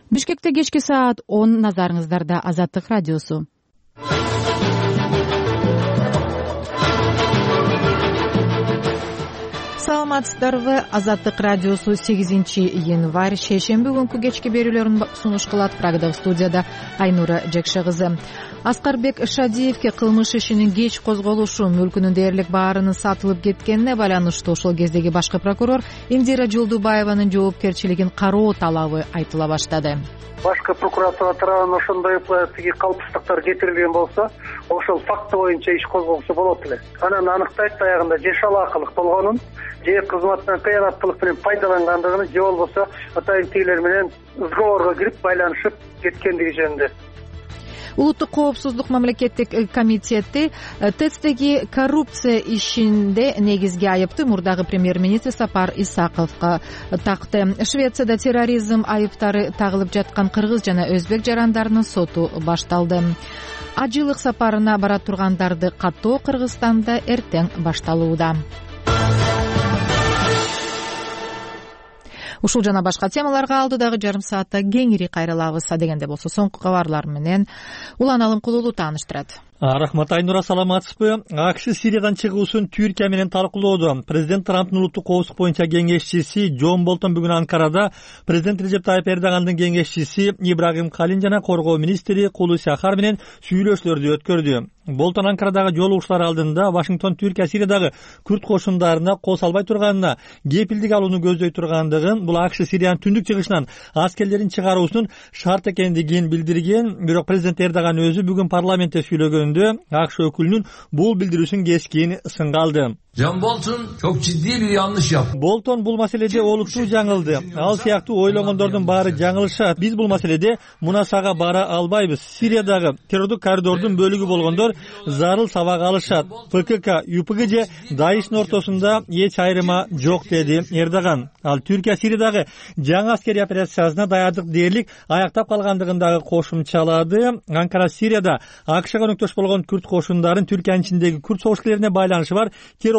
Бишкекте кечки саат 10 назарыңыздарда Азаттык радиосу. Саламатсыздарбы? Азаттык радиосу 8-январь шейшемби күнкү кечки берүүлөрүн сунуш кылат. Прагадагы студияда Айнура Жекше кызы. Аскарбек Шадиевке кылмыш ишинин кеч козголушу, мүлкүнүн дээрлик баарынын сатылып кеткенине байланыштуу ошол кездеги башкы прокурор Индира Жолдубаеванын жоопкерчилигин кароо талабы айтыла баштады. Башкы прокуратура тарабынан ошондой тиги калпсыздыктар кетирилген болсо, ошол факты боюнча иш козголсо болот эле. Анан аныктайт аягында же шалаакылык болгонун, же кызматтан кыянаттылык менен пайдалангандыгын, же болбосо атайын тигилер менен сговорго кирип байланышып кеткендиги жөнүндө. Улуттук коопсуздук мамлекеттик комитети ТЭЦдеги коррупция ишинде негизги айыпты мурдагы премьер-министр Сапар Исаковго такты. Швецияда терроризм айыптары тагылып жаткан кыргыз жана өзбек жарандарынын соту башталды. Ажылык сапарына бара тургандарды каттоо Кыргызстанда эртең башталууда. Ушул жана башка темаларга алдыдагы жарым саатта кеңири кайрылабыз. Дегенде болсо соңку кабарлар менен Улан Алымкулуулу тааныштырат. Рахмат, Айнура, саламатсызбы? АКШ Сириядан чыгуусун Түркия менен талкуулоодо. Президент Трамптын улуттук коопсуздук боюнча кеңешчиси Джон Болтон бүгүн Анкарада президент Режеп Тайып Эрдогандын кеңешчиси Ибрагим Калин жана коргоо министри Кулуси Ахар менен сүйлөшүүлөрдү өткөрдү. Болтон Анкарадагы жолугушуулар алдында Вашингтон Түркия Сириядагы күрд кошундарына кол салбай турганына, кепилдик алууну көздөй тургандыгын, бул АКШ Сириянын түндүк чыгышынан аскерлерин чыгаруусунун шарт экендигин билдирген. Бирок президент Эрдоган өзү бүгүн парламентте сүйлөгөндө АКШ өкүлүнүн бул билдирүүсүн кескин сынга алды. John Bolton çok ciddi bir yanlış yaptı. Bolton бул маселеде олуттуу жаңылды. Ал сыяктуу ойлогондордун баары жаңылышат. Биз бул маселеде мунасага бара албайбыз. Сириядагы террордук коридордун бөлүгү болгондор зарыл сабак алышат. ПКК, ЮПГ же Даиштин ортосунда эч айырма жок, деди Эрдоган. Ал Түркия Сириядагы жаңы аскерий операциясына даярдык дээрлик аяктап калгандыгын дагы кошумчалады. Анкара Сирияда АКШга өнөктөш болгон күрд кошундарын Түркиянын ичиндеги күрд согуш-келерине байланышы бар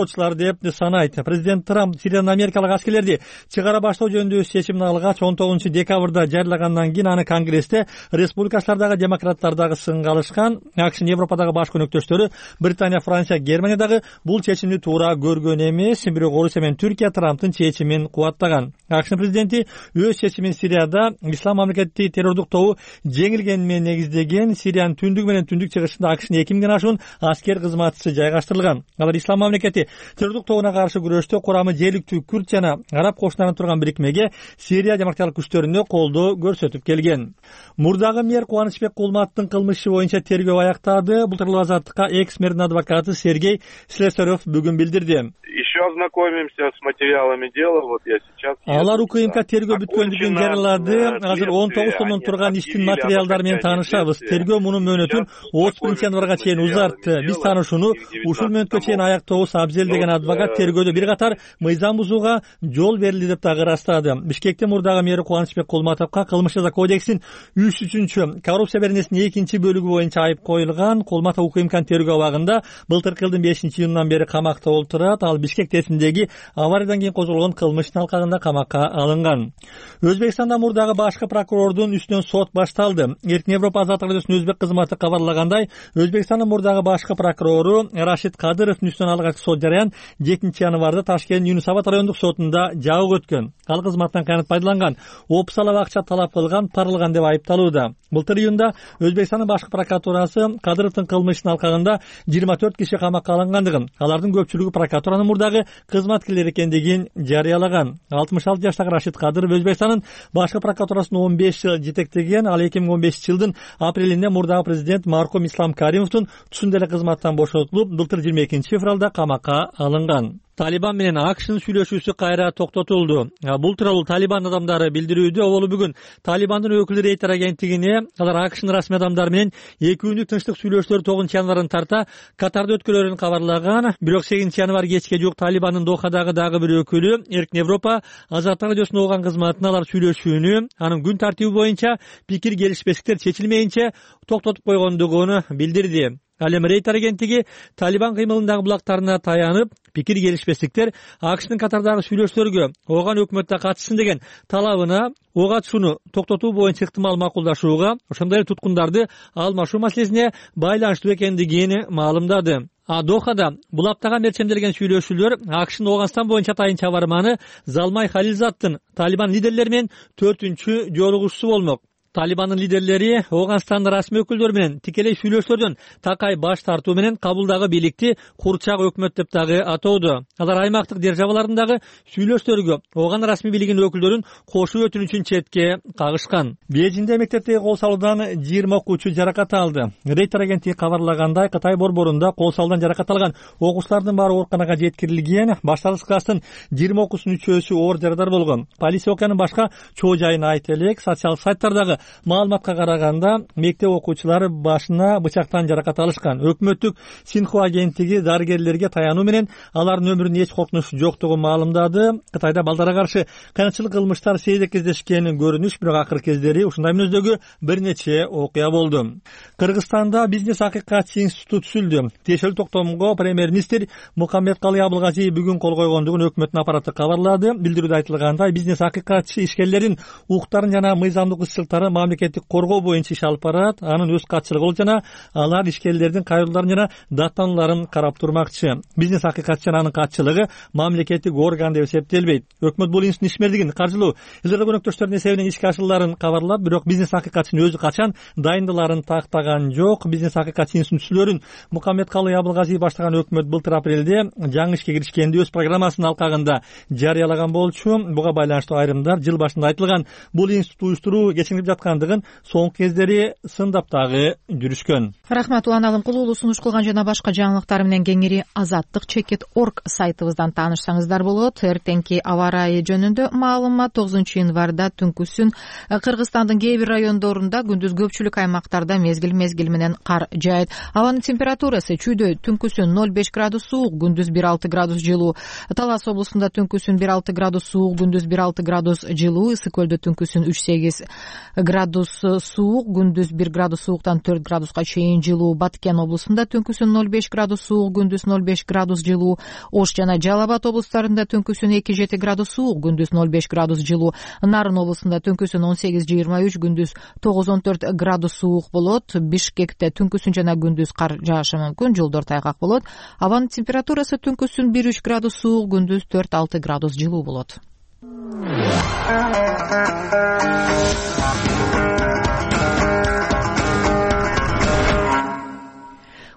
деп санайт. Президент Трамп Сириядан америкалык аскерлерди чыгара баштоо жөнүндө чечимин алгач 19 декабрда жарыялагандан кийин аны Конгрессте республикачылар дагы демократтар дагы сынга алышкан. АКШнын Европадагы башкы өнөктөштөрү Британия, Франция, Германия дагы бул чечимди туура көргөн эмес. Бирок Орусия менен Түркия Трамптын чечимин кубаттаган. АКШнын президенти өз чечимин Сирияда ислам мамлекети террордук тобу жеңилгени менен негиздеген. Сириянын түндүгү менен түндүк чыгышында АКШнын 2000 ашуун аскер кызматчысы жайгаштырылган. Алар ислам мамлекети террордук тобуна каршы күрөштө курамы жергиликтүү күрд жана араб кошундарынан турган бирикмеге Сирия демократиялык күчтөрүнө колдоо көрсөтүп келген. Мурдагы мэр Кубанычбек Кулматтын кылмышы боюнча тергөө аяктады. Былтыр Азаттыкка экс-мэрдин адвокаты Сергей Слесарев бүгүн билдирди. Еще ознакомимся с материалами дела. Вот я сейчас. Алар УКМК тергөө бүткөндүгүн жарыялады. Азыр 19 томдон турган иштин материалдары менен таанышабыз. Тергөө мунун мөөнөтүн 31 январга чейин узартты. Биз таанышууну ушул мөөнөткө чейин аяктообуз абзел деген адвокат тергөөдө бир катар мыйзам бузууга жол берилди деп дагы ырастады. Бишкекте мурдагы мэр Кубанычбек Кулматовго кылмыш жаза кодексинин 3-3 коррупция беренесинин 2 бөлүгү боюнча айып коюлган. Кулматов УКМКнын тергөө абагында былтыркы жылдын 5-июнунан бери камакта олтурат. Ал Бишкек ТЭЦиндеги авариядан кийин козголгон кылмыштын алкагында камакка алынган. Өзбекстанда мурдагы башкы прокурордун үстүнөн сот башталды. Эркин Европа Азаттык радиосунун өзбек кызматы кабарлагандай, Өзбекстандын мурдагы башкы прокурору Рашид Кадыровдун үстүнөн алгачкы сот жараян 7 январда Ташкент Юнусабад райондук сотунда жабык өткөн. Ал кызматтан кыянат пайдаланган, опусалап акча талап кылган, парылган деп айыпталууда. Былтыр июнда Өзбекстандын башкы прокуратурасы Кадыровдун кылмыштын алкагында 24 киши камакка алынгандыгын, алардын көпчүлүгү прокуратуранын мурдагы кызматкерлери экендигин жарыялаган. 66 жаштагы Рашид Кадыров Өзбекстандын башкы прокуратурасын 15 жыл жетектеген. Ал 2015 жылдын апрелинде мурдагы президент мархум Ислам Каримовдун тушунда эле кызматтан бошотулуп, былтыр 22 февралда камакка алынган. Талибан менен АКШнын сүйлөшүүсү кайра токтотулду. Бул тууралуу Талибан адамдары билдирүүдө. Ол бүгүн Талибандын өкүлү Рейтер агенттигине алар АКШнын расмий адамдары менен 2 күндүк тынчтык сүйлөшүүлөр 9 январдан тарта Катарда өткөрүлөрүн кабарлаган. Бирок 8 январ кечке жук Талибандын Дохадагы дагы бир өкүлү Эркин Европа Азаттык радиосунун уган кызматына алар сүйлөшүүнү анын күн тартиби боюнча пикир келишпестиктер чечилмейинче токтотуп койгондугун билдирди. Ал эми Рейтер агенттиги Талибан кыймылындагы булактарына таянып, пикир келишпестиктер АКШнын катардагы сүйлөшүүлөргө ооган өкмөттө катышсын деген талабына ого атышууну токтотуу боюнча ыктымал макулдашууга, ошондой эле туткундарды алмашуу маселесине байланыштуу экендигин маалымдады. Дохада бул аптага мерчемделген сүйлөшүүлөр АКШнын Ооганстан боюнча тайынча барыманы Залмай Халилзаддын Талибан лидерлери менен 4-чү жолугушуусу болмок. Талибандын лидерлери Ооганстандын расмий өкүлдөрү менен тикелей сүйлөшүүлөрдөн такай баш тартуу менен кабылдагы бийликти курчак өкмөт деп дагы атоодо. Алар аймактык державалардагы сүйлөшүүлөргө Ооган расмий бийлигинин өкүлдөрүн кошуу өтүнүчүн четке кагышкан. Бейжиңде мектептеги кол салуудан 20 окуучу жаракат алды. Рейтер агенттиги кабарлагандай, Кытай борборунда кол салуудан жаракат алган окуучулардын баары ооруканага жеткирилген. Башталгыч класстын 20 окуучусунун үчөөсү оор жарадар болгон. Полиция окуянын башка чоо жайын айта элек. Социалдык сайттардагы маалыматка караганда мектеп окуучулары башына бычактан жаракат алышкан. Өкмөттүк Синхуа агенттиги дарыгерлерге таянуу менен алардын өмүрүнө эч коркунуч жоктугун маалымдады. Кытайда балдарга каршы кыянчылык кылмыштар сейрек кездешкен көрүнүш, бирок акыркы кездери ушундай мүнөздөгү бир нече окуя болду. Кыргызстанда бизнес акыйкатчы институт түзүлдү. Тиешелүү токтомго премьер-министр Мукаммедкалый Абылгазиев бүгүн кол койгондугун өкмөттүн аппараты кабарлады. Билдирүүдө айтылгандай, бизнес акыйкатчы ишкерлердин укуктарын жана мыйзамдык ысчылыктарын мамлекеттик коргоо боюнча иш алып барат. Анын өз катчылыгы болот жана алар ишкерлердин кайрылууларын жана даттанууларын карап турмакчы. Бизнес акыйкатчы жана анын катчылыгы мамлекеттик орган деп эсептелбейт. Өкмөт бул институттун ишмердигин каржылоо илгары көнөктөштөрдүн эсебинен ишке ашырыларын кабарлап, бирок бизнес акыйкатчынын өзү качан дайындыларын тактаган жок. Бизнес акыйкатчы институттун түзүлөөрүн Мукаммедкалый Абылгазиев баштаган өкмөт былтыр апрелде жаңы ишке киришкенде өз программасынын алкагында жарыялаган болчу. Буга байланыштуу айрымдар жыл башында айтылган бул институт уюштуруу кечиңип жаткандыгын соңку кездери сындап дагы жүрүшкөн. Рахмат, Улан Алымкулуу. Сунуш кылган жана башка жаңылыктар менен кеңири azattik.org сайтыбыздан таанышсаңыздар болот. Эртеңки аба ырайы жөнүндө маалымат 9-январда түнкүсүн Кыргызстандын кээ бир райондорунда, күндүз көпчүлүк аймактарда мезгил менен кар жаайт. Абанын температурасы чүйдө түнкүсүн 0,5 градус суук, күндүз 1,6 градус жылуу. Талас облусунда түнкүсүн 1,6 градус суук, күндүз 1,6 градус жылуу. Ысык көлдө түнкүсүн 3,8 градус суук, күндүз 1 градус сууктан 4 градуска чейин жылуу. Баткен облусунда түнкүсүн 0,5 градус суук, күндүз 0,5 градус жылуу. Ош жана Жалал Абад облустарында түнкүсүн 2,7 градус суук, күндүз 0,5 градус жылуу. Нарын облусунда түнкүсүн 18-23, күндүз 9-14 градус суук болот. Бишкекте түнкүсүн жана күндүз кар жаашы мүмкүн, жолдор тайгак болот. Абанын температурасы түнкүсүн 1,3 градус суук, күндүз 4-6 градус жылуу болот.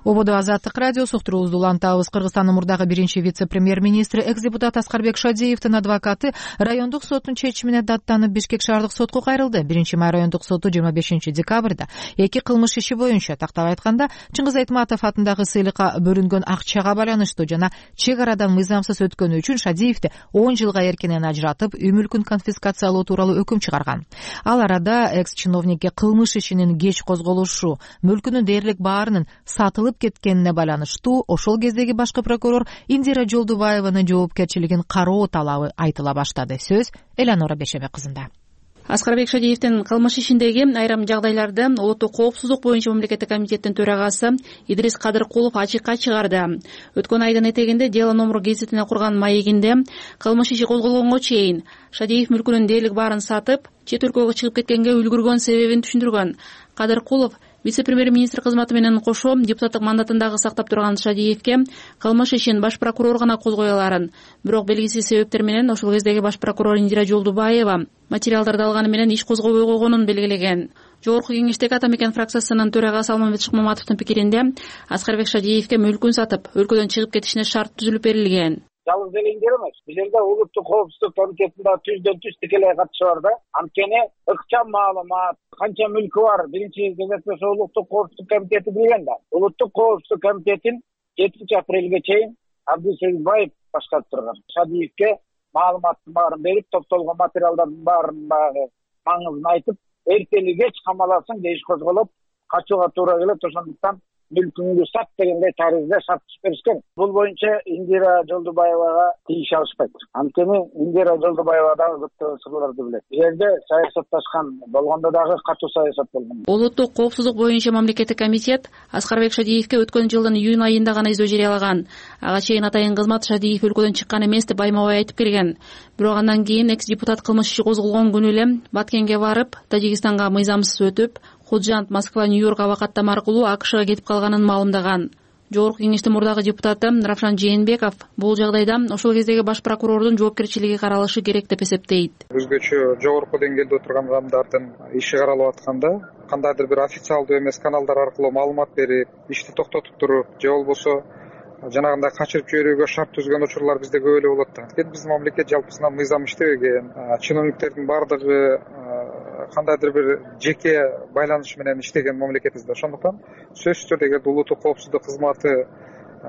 Ободо Азаттык радиосу уктуруубузду улантабыз. Кыргызстандын мурдагы биринчи вице-премьер-министри, экс-депутат Аскарбек Шадиевдин адвокаты райондук соттун чечимине даттанып Бишкек шаардык сотко кайрылды. 1-май райондук соту 25-декабрда эки кылмыш иши боюнча, тактап айтканда, Чыңгыз Айтматов атындагы сыйлыкка бөлүнгөн акчага байланыштуу жана чек арадан мыйзамсыз өткөнү үчүн Шадиевди 10 жылга эркинен ажыратып, үй мүлкүн конфискациялоо тууралуу өкүм чыгарган. Ал арада экс-чиновникке кылмыш ишинин кеч козголушу, мүлкүнүн дээрлик баарынын сатылып кеткенине байланыштуу ошол кездеги башкы прокурор Индира Жолдубаеванын жоопкерчилигин кароо талабы айтыла баштады. Сөз Эланора Бешебек кызында. Аскарбек Шадиевдин кылмыш ишиндеги айрым жагдайларды улуттук коопсуздук боюнча мамлекеттик комитеттин төрагасы Идрис Кадыркулов ачыкка чыгарды. Өткөн айдын этегинде Дело номер гезитине курган маегинде кылмыш иши козголгонго чейин Шадиев мүлкүнүн дээрлик баарын сатып, чет өлкөгө чыгып кеткенге үлгүргөн себебин түшүндүргөн. Кадыркулов вице-премьер-министр кызматы менен кошо депутаттык мандатын сактап турган Шадиевке кылмыш ишин баш прокурор гана козгой аларын, бирок белгисиз себептер менен ошол кездеги баш прокурор Индира Жолдубаева материалдарды алганы менен иш козгобой койгонун белгилеген. Жогорку кеңештеги Ата Мекен фракциясынын төрагасы Алмамбет Шыкмаматовдун пикиринде Аскарбек Шадиевке мүлкүн сатып, өлкөдөн чыгып кетишине шарт түзүлүп берилген. Жалгыз элеңдер эмес. Бул жерде улуттук коопсуздук комитетинде түздөн-түз тикелей катышы бар да. Анткени ыкчам маалымат, канча мүлкү бар, биринчи кезекте ошо улуттук коопсуздук комитети билген да. Улуттук коопсуздук комитетин 7-апрелге чейин Абдусегизбаев башкарып турган. Шадиевке маалыматтын баарын берип, топтолгон материалдардын баарын маңызын айтып, эртели кеч камаласың деп иш козголуп, качууга туура келет. Ошондуктан мүлкүңдү сат дегендей таризде сатып беришкен. Бул боюнча Индира Жолдубаевага тийише алышпайт. Анткени Индира Жолдубаева дагы көптөгөн сырларды билет. Бул жерде саясатташкан болгондо дагы катуу саясат болгон. Улуттук коопсуздук боюнча мамлекеттик комитет Аскарбек Шадиевке өткөн жылдын июнь айында гана издөө жарыялаган. Ага чейин атайын кызмат Шадиев өлкөдөн чыккан эмес деп байма-бай айтып келген. Бирок андан кийин экс-депутат кылмыш иши козголгон күнү эле Баткенге барып, Тажикстанга мыйзамсыз өтүп, Худжант, Москва, Нью-Йорк абакаттама аркылуу АКШга кетип калганын маалымдаган. Жогорку кеңештин мурдагы депутаты Равшан Жээнбеков бул жагдайда ошол кездеги баш прокурордун жоопкерчилиги каралышы керек деп эсептейт. Өзгөчө жогорку деңгээлде отурган адамдардын иши каралып атканда кандайдыр бир официалдуу эмес каналдар аркылуу маалымат берип, ишти токтотуп туруп, же болбосо жанагындай качырып жиберүүгө шарт түзгөн учурлар бизде көп эле болот да. Анткени биздин мамлекет жалпысынан мыйзам иштебеген, чиновниктердин баардыгы кандайдыр бир жеке байланыш менен иштеген мамлекетибиз да. Ошондуктан сөзсүз түрдө эгер улуттук коопсуздук кызматы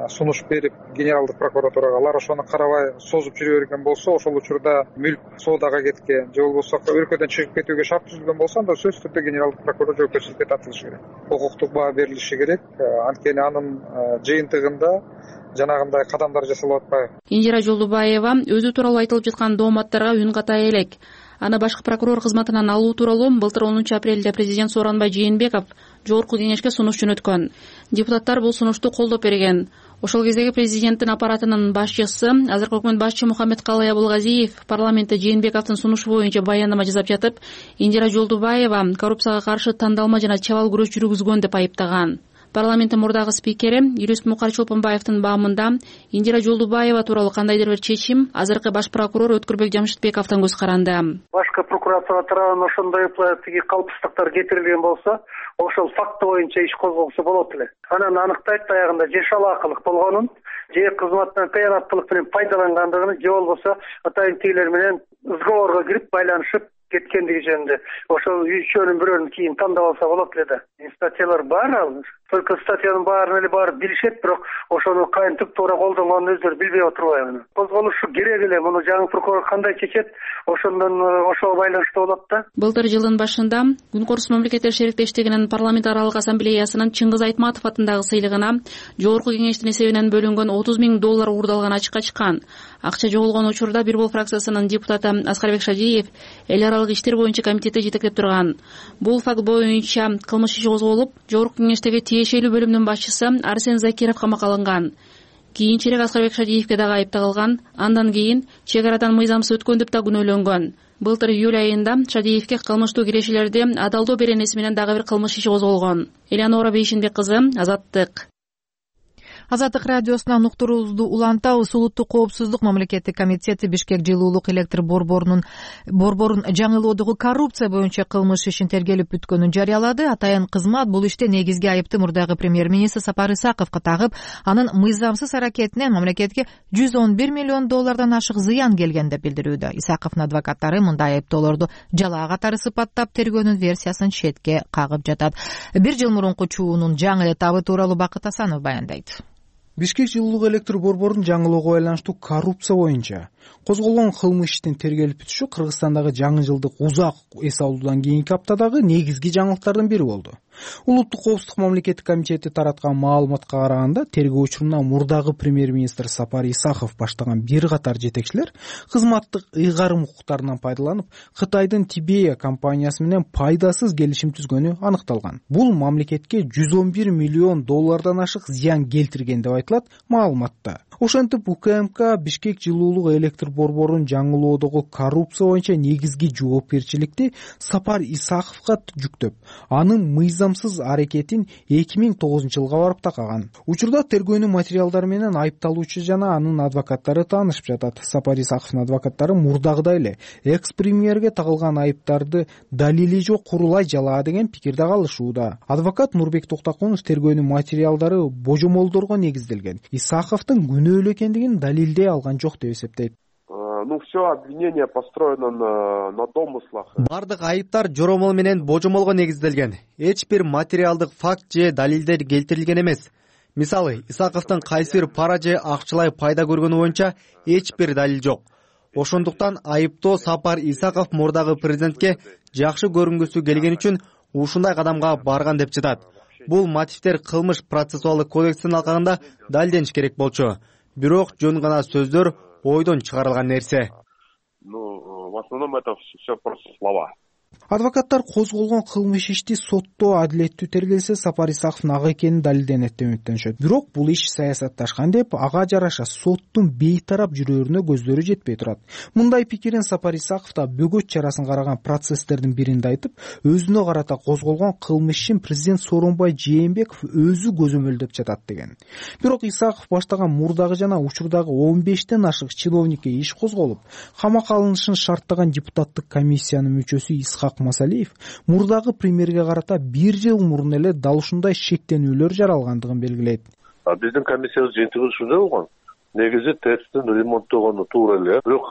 сунуш берип генералдык прокуратурага алар ошону карабай созуп жүрө берген болсо, ошол учурда мүлк соодага кеткен же болбосо өлкөдөн чыгып кетүүгө шарт түзүлгөн болсо, анда сөзсүз түрдө генералдык прокурор жоопкерчиликке тартылышы керек. Укуктук баа берилиши керек. Анткени анын жыйынтыгында жанагындай кадамдар жасалып атпайбы. Индира Жолдубаева өзү тууралуу айтылып жаткан дооматтарга үн катай элек. Аны башкы прокурор кызматынан алуу тууралуу былтыр 10 апрелде президент Сооронбай Жээнбеков жогорку кеңешке сунуш жөнөткөн. Депутаттар бул сунушту колдоп берген. Ошол кездеги президенттин аппаратынын башчысы, азыркы өкмөт башчы Мухаммедкалый Абылгазиев парламентте Жээнбековдун сунушу боюнча баяндама жасап жатып, Индира Жолдубаева коррупцияга каршы тандалма жана чабал күрөш жүргүзгөн деп айыптаган. Парламенттин мурдагы спикери юрист Мукар Чолпонбаевдин баамында Индира Жолдубаева тууралуу кандайдыр бир чечим азыркы баш прокурор Өткүрбек Жамшитбековдон көз каранды. Башкы прокуратура тарабынан ошондой тиги калпсыздыктар кетирилген болсо, ошол факты боюнча иш козголсо болот эле. Анан аныктайт аягында же шалаакылык болгонун, же кызматтан кыянаттуулук менен пайдалангандыгын, же болбосо атайын тигилер менен сговорго кирип байланышып кеткендиги жөнүндө. Ошол үчөөнүн бирөөнүн кийин тандап алса болот эле да. Статьялар бар ал. Только статьянын баарын эле барып билишет, бирок ошону кантип туура колдонгонун өздөрү билбей отурбайбы. Козголушу керек эле. Муну жаңы прокурор кандай чечет, ошондон ошого байланыштуу болот да. Былтыр жылдын башында Күн Корус мамлекеттер шериктештигинин парламент аралык ассамблеясынын Чыңгыз Айтматов атындагы сыйлыгына жогорку кеңештин эсебинен бөлүнгөн $30,000 уурдалган ачыкка чыккан. Акча жоголгон учурда Бир Бол фракциясынын депутаты Аскарбек Шадиев эл аралык иштер боюнча комитетти жетектеп турган. Бул факт боюнча кылмыш иши козголуп, жогорку кеңештеги тиешелүү бөлүмдүн башчысы Арсен Закиров камакка алынган. Кийинчерээк Аскарбек Шадиевке дагы айып тагылган. Андан кийин чек арадан мыйзамсыз өткөн деп да күнөөлөнгөн. Былтыр июль айында Шадиевке кылмыштуу кирешелерди адалдоо беренеси менен дагы бир кылмыш иши козголгон. Элеонора Бейшинбек кызы, Азаттык. Азаттык радиосунан уктуруубузду улантабыз. Улуттук коопсуздук мамлекеттик комитети Бишкек жылуулук электр борборун жаңылоодогу коррупция боюнча кылмыш ишин тергелип бүткөнүн жарыялады. Атайын кызмат бул иште негизги айыпты мурдагы премьер-министр Сапар Исаковго тагып, анын мыйзамсыз аракетинен мамлекетке $111 миллион ашык зыян келген деп билдирүүдө. Исаковдун адвокаттары мындай айыптоолорду жалаа катары сыпаттап тергөөнүн версиясын четке кагып жатат. Бир жыл мурунку чуунун жаңы этабы тууралуу Бакыт Асанов баяндайт. Бишкек жылуулук электр борборун жаңылоого байланыштуу коррупция боюнча козголгон кылмыш иштин тергелип бүтүшү Кыргызстандагы жаңы жылдык узак эс алуудан кийинки аптадагы негизги жаңылыктардын бири болду. Улуттук коопсуздук мамлекеттик комитети тараткан маалыматка караганда, тергөө учурунда мурдагы премьер-министр Сапар Исаков баштаган бир катар жетекчилер кызматтык ыйгарым укуктарынан пайдаланып, Кытайдын Тибея компаниясы менен пайдасыз келишим түзгөнү аныкталган. Бул мамлекетке $111 миллион ашык зыян келтирген деп айтылат маалыматта. Ошентип УКМК Бишкек жылуулук электр борборун жаңылоодогу коррупция боюнча негизги жоопкерчиликти Сапар Исаковго жүктөп, анын мыйзамсыз аракетин 2009-жылга барып такаган. Учурда тергөөнүн материалдары менен айыпталуучу жана анын адвокаттары таанышып жатат. Сапар Исаковдун адвокаттары мурдагыдай эле экс-премьерге тагылган айыптарды далили жок курулай жалаа деген пикирде калышууда. Адвокат Нурбек Токтокунов тергөөнүн материалдары божомолдорго негизделген, Исаковдун күнөөлүү экендигин далилдей алган жок деп эсептейт. Все обвинение построено на домыслах. Бардык айыптар жоромол менен божомолго негизделген. Эч бир материалдык факт же далилдер келтирилген эмес. Мисалы, Исаковдун кайсы бир пара же акчалай пайда көргөнү боюнча эч бир далил жок. Ошондуктан айыптоо Сапар Исаков мурдагы президентке жакшы көрүнгүсү келген үчүн ушундай кадамга барган деп жатат. Бул мотивдер кылмыш процессуалдык кодекстин алкагында далилдениш керек болчу. Бирок жөн гана сөздөр, ойдон чыгарылган нерсе. В основном это все просто слова. Адвокаттар козголгон кылмыш ишти сотто адилеттүү тергелсе Сапар Исаковдун ак экени далилденет деп үмүттөнүшөт. Бирок бул иш саясатташкан деп, ага жараша соттун бейтарап жүрөрүнө көздөрү жетпей турат. Мындай пикирин Сапар Исаков да бөгөт чарасын караган процесстердин биринде айтып, өзүнө карата козголгон кылмыш ишин президент Сооронбай Жээнбеков өзү көзөмөлдөп жатат деген. Бирок Исаков баштаган мурдагы жана учурдагы 15тен ашык чиновникке иш козголуп, камакка алынышын шарттаган депутаттык комиссиянын мүчөсү Исхак Масалиев мурдагы премьерге карата 1 жыл мурун эле дал ушундай шектенүүлөр жаралгандыгын белгилейт. Биздин комиссиябыз жыйынтыгы ушундай болгон. Негизи ТЭЦтин ремонттогону туура эле. Бирок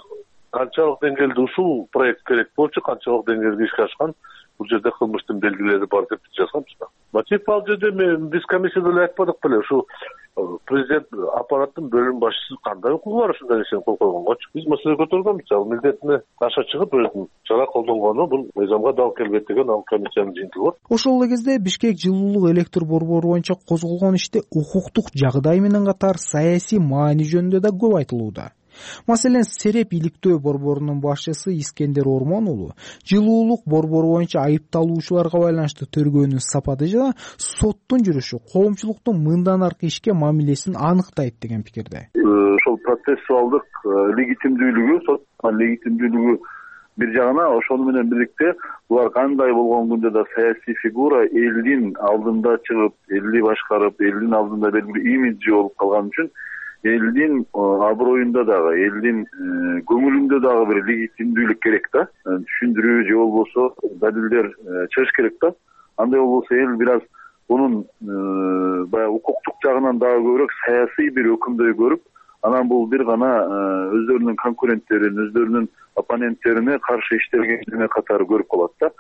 канчалык деңгээлде ушул проект керек болчу, канчалык деңгээлде ишке ашкан, бул жерде кылмыштын белгилери бар деп жазганбыз да. Мотив ал жерде биз комиссияда эле айтпадык беле, ушу президент аппараттын бөлүм башчысы кандай укугу бар ушундай нерсени кол койгонгочу. Биз маселе көтөргөнбүз, ал милдетине аша чыгып өзүнүн чара колдонгону бул мыйзамга дал келбейт деген ал комиссиянын жыйынтыгы бар. Ошол эле кезде Бишкек жылуулук электр борбору боюнча козголгон иште укуктук жагдай менен катар саясий маани жөнүндө да көп айтылууда. Маселен, Сереп иликтөө борборунун башчысы Искендер Ормон уулу жылуулук борбору боюнча айыпталуучуларга байланыштуу тергөөнүн сапаты жана соттун жүрүшү коомчулуктун мындан аркы ишке мамилесин аныктайт деген пикирде. Ошол процессуалдык легитимдүүлүгү, соттун легитимдүүлүгү бир жагына, ошону менен бирикте булар кандай болгон күндө да саясий фигура элдин алдында чыгып, элди башкарып, элдин алдында белгилүү имиджи болуп калган үчүн элдин аброюнда дагы, элдин көңүлүндө дагы бир легитимдүүлүк керек да. Түшүндүрүү же болбосо далилдер чыгыш керек да. Андай болбосо эл бир аз бунун баягы укуктук жагынан дагы көбүрөөк саясий бир өкүмдөй көрүп, анан бул бир гана өздөрүнүн конкуренттерин, өздөрүнүн оппоненттерине каршы иштелгендине катары көрүп калат да.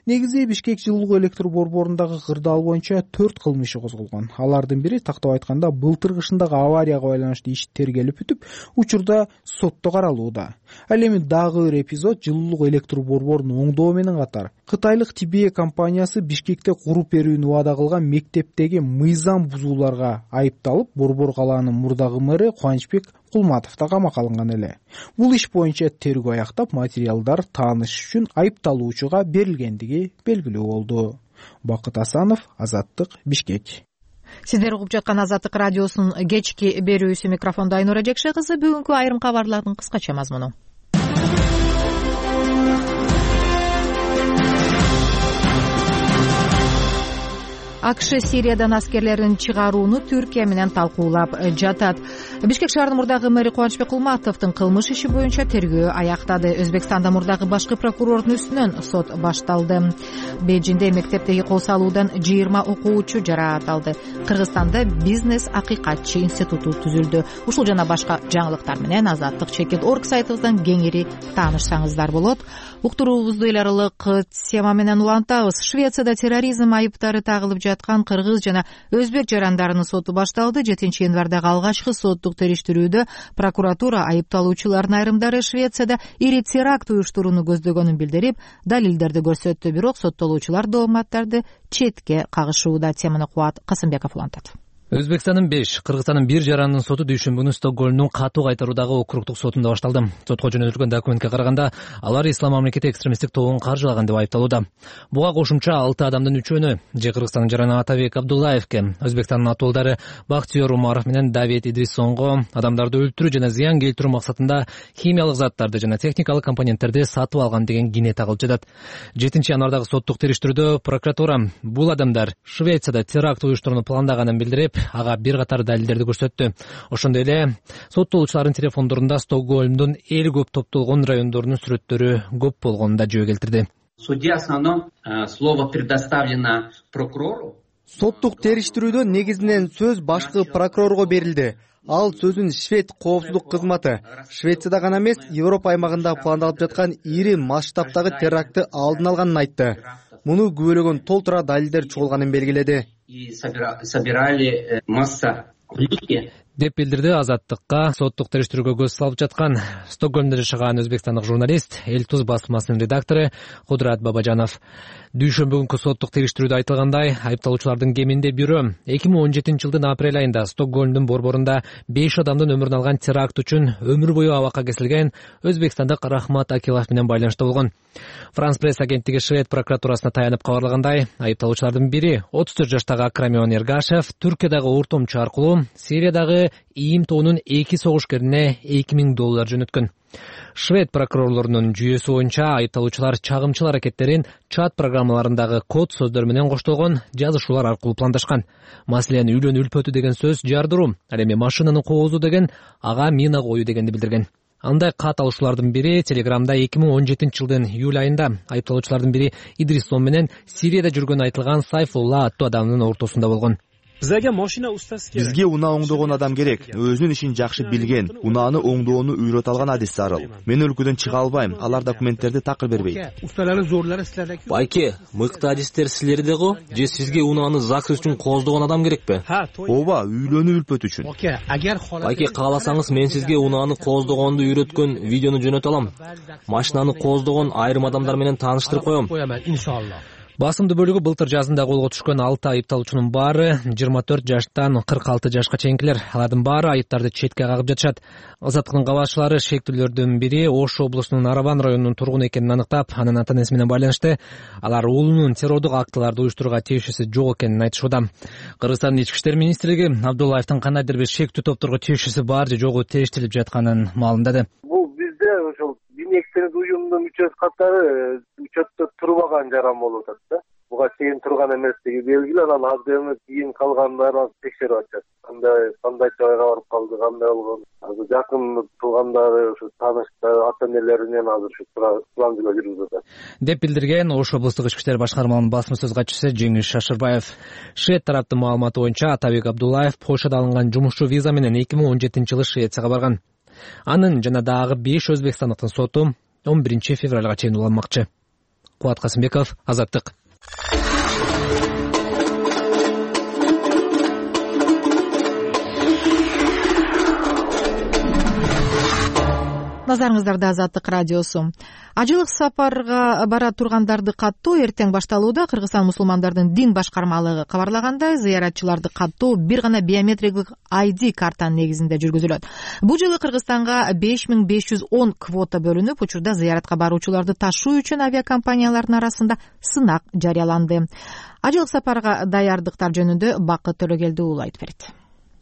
Негизи Бишкек жылуулук электр борборундагы кырдаал боюнча 4 кылмыш иши козголгон. Алардын бири, тактап айтканда, былтыр кышындагы аварияга байланыштуу иш тергелип бүтүп, учурда сотто каралууда. Ал эми дагы бир эпизод жылуулук электр борборунун оңдоо менен катар кытайлык Тибе компаниясы Бишкекте куруп берүүнү убада кылган мектептеги мыйзам бузууларга айыпталып, борбор калаанын мурдагы мэри Кубанычбек Кулматов да камакка алынган эле. Бул иш боюнча тергөө аяктап, материалдар тааныш үчүн айыпталуучуга берилгендиги белгилүү болду. Бакыт Асанов, Азаттык, Бишкек. Сиздер угуп жаткан Азаттык радиосунун кечки берүүсү, микрофондо Айнура Жекше кызы. Бүгүнкү айрым кабарлардын кыскача мазмуну. АКШ Сириядан аскерлерин чыгарууну Түркия менен талкуулап жатат. Бишкек шаарынын мурдагы мэри Кубанычбек Кулматовдун кылмыш иши боюнча тергөө аяктады. Өзбекстанда мурдагы башкы прокурордун үстүнөн сот башталды. Бейжиңде мектептеги кол салуудан 20 окуучу жараат алды. Кыргызстанда бизнес акыйкатчы институту түзүлдү. Ушул жана башка жаңылыктар менен Азаттык.org сайтыбыздан кеңири таанышсаңыздар болот. Уктуруубузду эл аралык тема менен улантабыз. Швецияда терроризм айыптары тагылып жаткан кыргыз жана өзбек жарандарынын соту башталды. 7-январдагы алгачкы соттук териштирүүдө прокуратура айыпталуучулардын айрымдары Швецияда ири теракт уюштурууну көздөгөнүн билдирип, далилдерди көрсөттү. Бирок соттолуучулар дооматтарды четке кагышууда. Теманы Кубат Касымбеков улантат. Өзбекстандын 5, Кыргызстандын 1 жаранынын соту дүйшөмбү күнү Стокгольмдун катуу кайтаруудагы округдук сотунда башталды. Сотко жөнөтүлгөн документке караганда, алар ислам мамлекети экстремисттик тобун каржылаган деп айыпталууда. Буга кошумча 6 адамдын 3-өөнө, же Кыргызстандын жараны Атабек Абдуллаевке, Өзбекстандын атуулдары Бактиер Умаров менен Давид Идрисонго адамдарды өлтүрүү жана зыян келтирүү максатында химиялык заттарды жана техникалык компоненттерди сатып алган деген кине тагылып жатат. 7-январдагы соттук териштирүүдө прокуратура бул адамдар Швецияда теракт уюштурууну пландаганын билдирип, ага бир катар далилдерди көрсөттү. Ошондой эле соттолуучулардын телефондорунда Стокгольмдун эл көп топтолгон райондорунун сүрөттөрү көп болгонун да жөө келтирди. Судья основном слово предоставлено прокурору. Соттук териштирүүдө негизинен сөз башкы прокурорго берилди. Ал сөзүн Швед коопсуздук кызматы Швецияда гана эмес, Европа аймагында пландалып жаткан ири масштабтагы терактты алдын алганын айтты. Муну күбөлөгөн толтура далилдер чогулганын белгиледи. И собирали масса улики. деп билдирди Азаттыкка соттук териштирүүгө көз салып жаткан Стокгольмдо жашаган өзбекстандык журналист, Эл Туз басмасынын редактору Кудурат Бабажанов. Дүйшөмбү күнкү соттук териштирүүдө айтылгандай, айыпталуучулардын кеминде бирөө 2017 жылдын апрель айында Стокгольмдун борборунда 5 адамдын өмүрүн алган теракт үчүн өмүр бою абакка кесилген өзбекстандык Рахмат Акилов менен байланышта болгон. Франс пресс агенттиги Швед прокуратурасына таянып кабарлагандай, айыпталуучулардын бири 34 жаштагы Акрамион Эргашев Түркиядагы ортомчу аркылуу Сириядагы ИИМ тобунун 2 согушкерине $2000 жөнөткөн. Швед прокурорлорунун жүйөсү боюнча айыпталуучулар чагымчыл аракеттерин чат программаларындагы код сөздөр менен коштолгон жазышуулар аркылуу пландашкан. Маселен, үйлөн үлпөтү деген сөз жардыруу, ал эми машинаны коозуу деген ага мина коюу дегенди билдирген. Андай кат алуучулардын бири Телеграмда 2017 жылдын июль айында айыпталуучулардын бири Идрис Сом менен Сирияда жүргөнү айтылган Сайфулла аттуу адамдын ортосунда болгон. Бизге унаа оңдогон адам керек. Өзүнүн ишин жакшы билген, унааны оңдоону үйрөтө алган адис зарыл. Мен өлкөдөн чыга албайм, алар документтерди такыр бербейт. Байке, мыкты адистер силерде го, же сизге унааны ЗАГС үчүн кооздогон адам керекпи? Ооба, үйлөнүү үлпөт үчүн. Байке, кааласаңыз мен сизге унааны кооздогонду үйрөткөн видеону жөнөтө алам. Машинаны кооздогон айрым адамдар менен тааныштырып коем. Басымдуу бөлүгү былтыр жазында колго түшкөн 6 айыпталуучунун баары 24 жаштан 46 жашка чейинкилер. Алардын баары айыптарды четке кагып жатышат. Азаттыктын кабарчылары шектүүлөрдүн бири Ош облусунун Арабан районунун тургуну экенин аныктап, анын ата-энеси менен байланышты. Алар уулунун террордук актыларды уюштурууга тийишеси жок экенин айтышууда. Кыргызстандын ички иштер министрлиги Абдуллаевдин кандайдыр бир шектүү топторго тийишеси бар же жогу териштелип жатканын маалымдады. Бул бизде ошол экстремдик уюмдун мүчөсү катары учетто турбаган жаран болуп атат да. Буга чейин турган эместиги белгилүү, анан азыр кийин калгандарын текшерип атышат. Кандай жайга барып калды, кандай болгон. Азыр жакын туугандары, ушу тааныштар, ата-энелери менен азыр ушу план жүргүзүп атат. Деп билдирген Ош облустук ички иштер башкармалыгынын басма сөз катчысы Жеңиш Шашырбаев. Швед тараптын маалыматы боюнча Атабек Абдуллаев Польшада алынган жумушчу виза менен 2017 жылы Швецияга барган. Анын жана дагы 5 өзбекстандыктын соту 11 февралга чейин уланмакчы. Кубат Касымбеков, Азаттык. Назарыңыздарда Азаттык радиосу. Ажылык сапарга бара тургандарды каттоо эртең башталууда. Кыргызстан мусулмандардын дин башкармалыгы кабарлагандай, зыяратчыларды каттоо бир гана биометриктик ID картанын негизинде жүргүзүлөт. Бул жылы Кыргызстанга 5510 квота бөлүнүп, учурда зыяратка баруучуларды ташуу үчүн авиакомпаниялардын арасында сынак жарыяланды. Ажылык сапарга даярдыктар жөнүндө Бакыт Төлөгелди уулу айтып берет.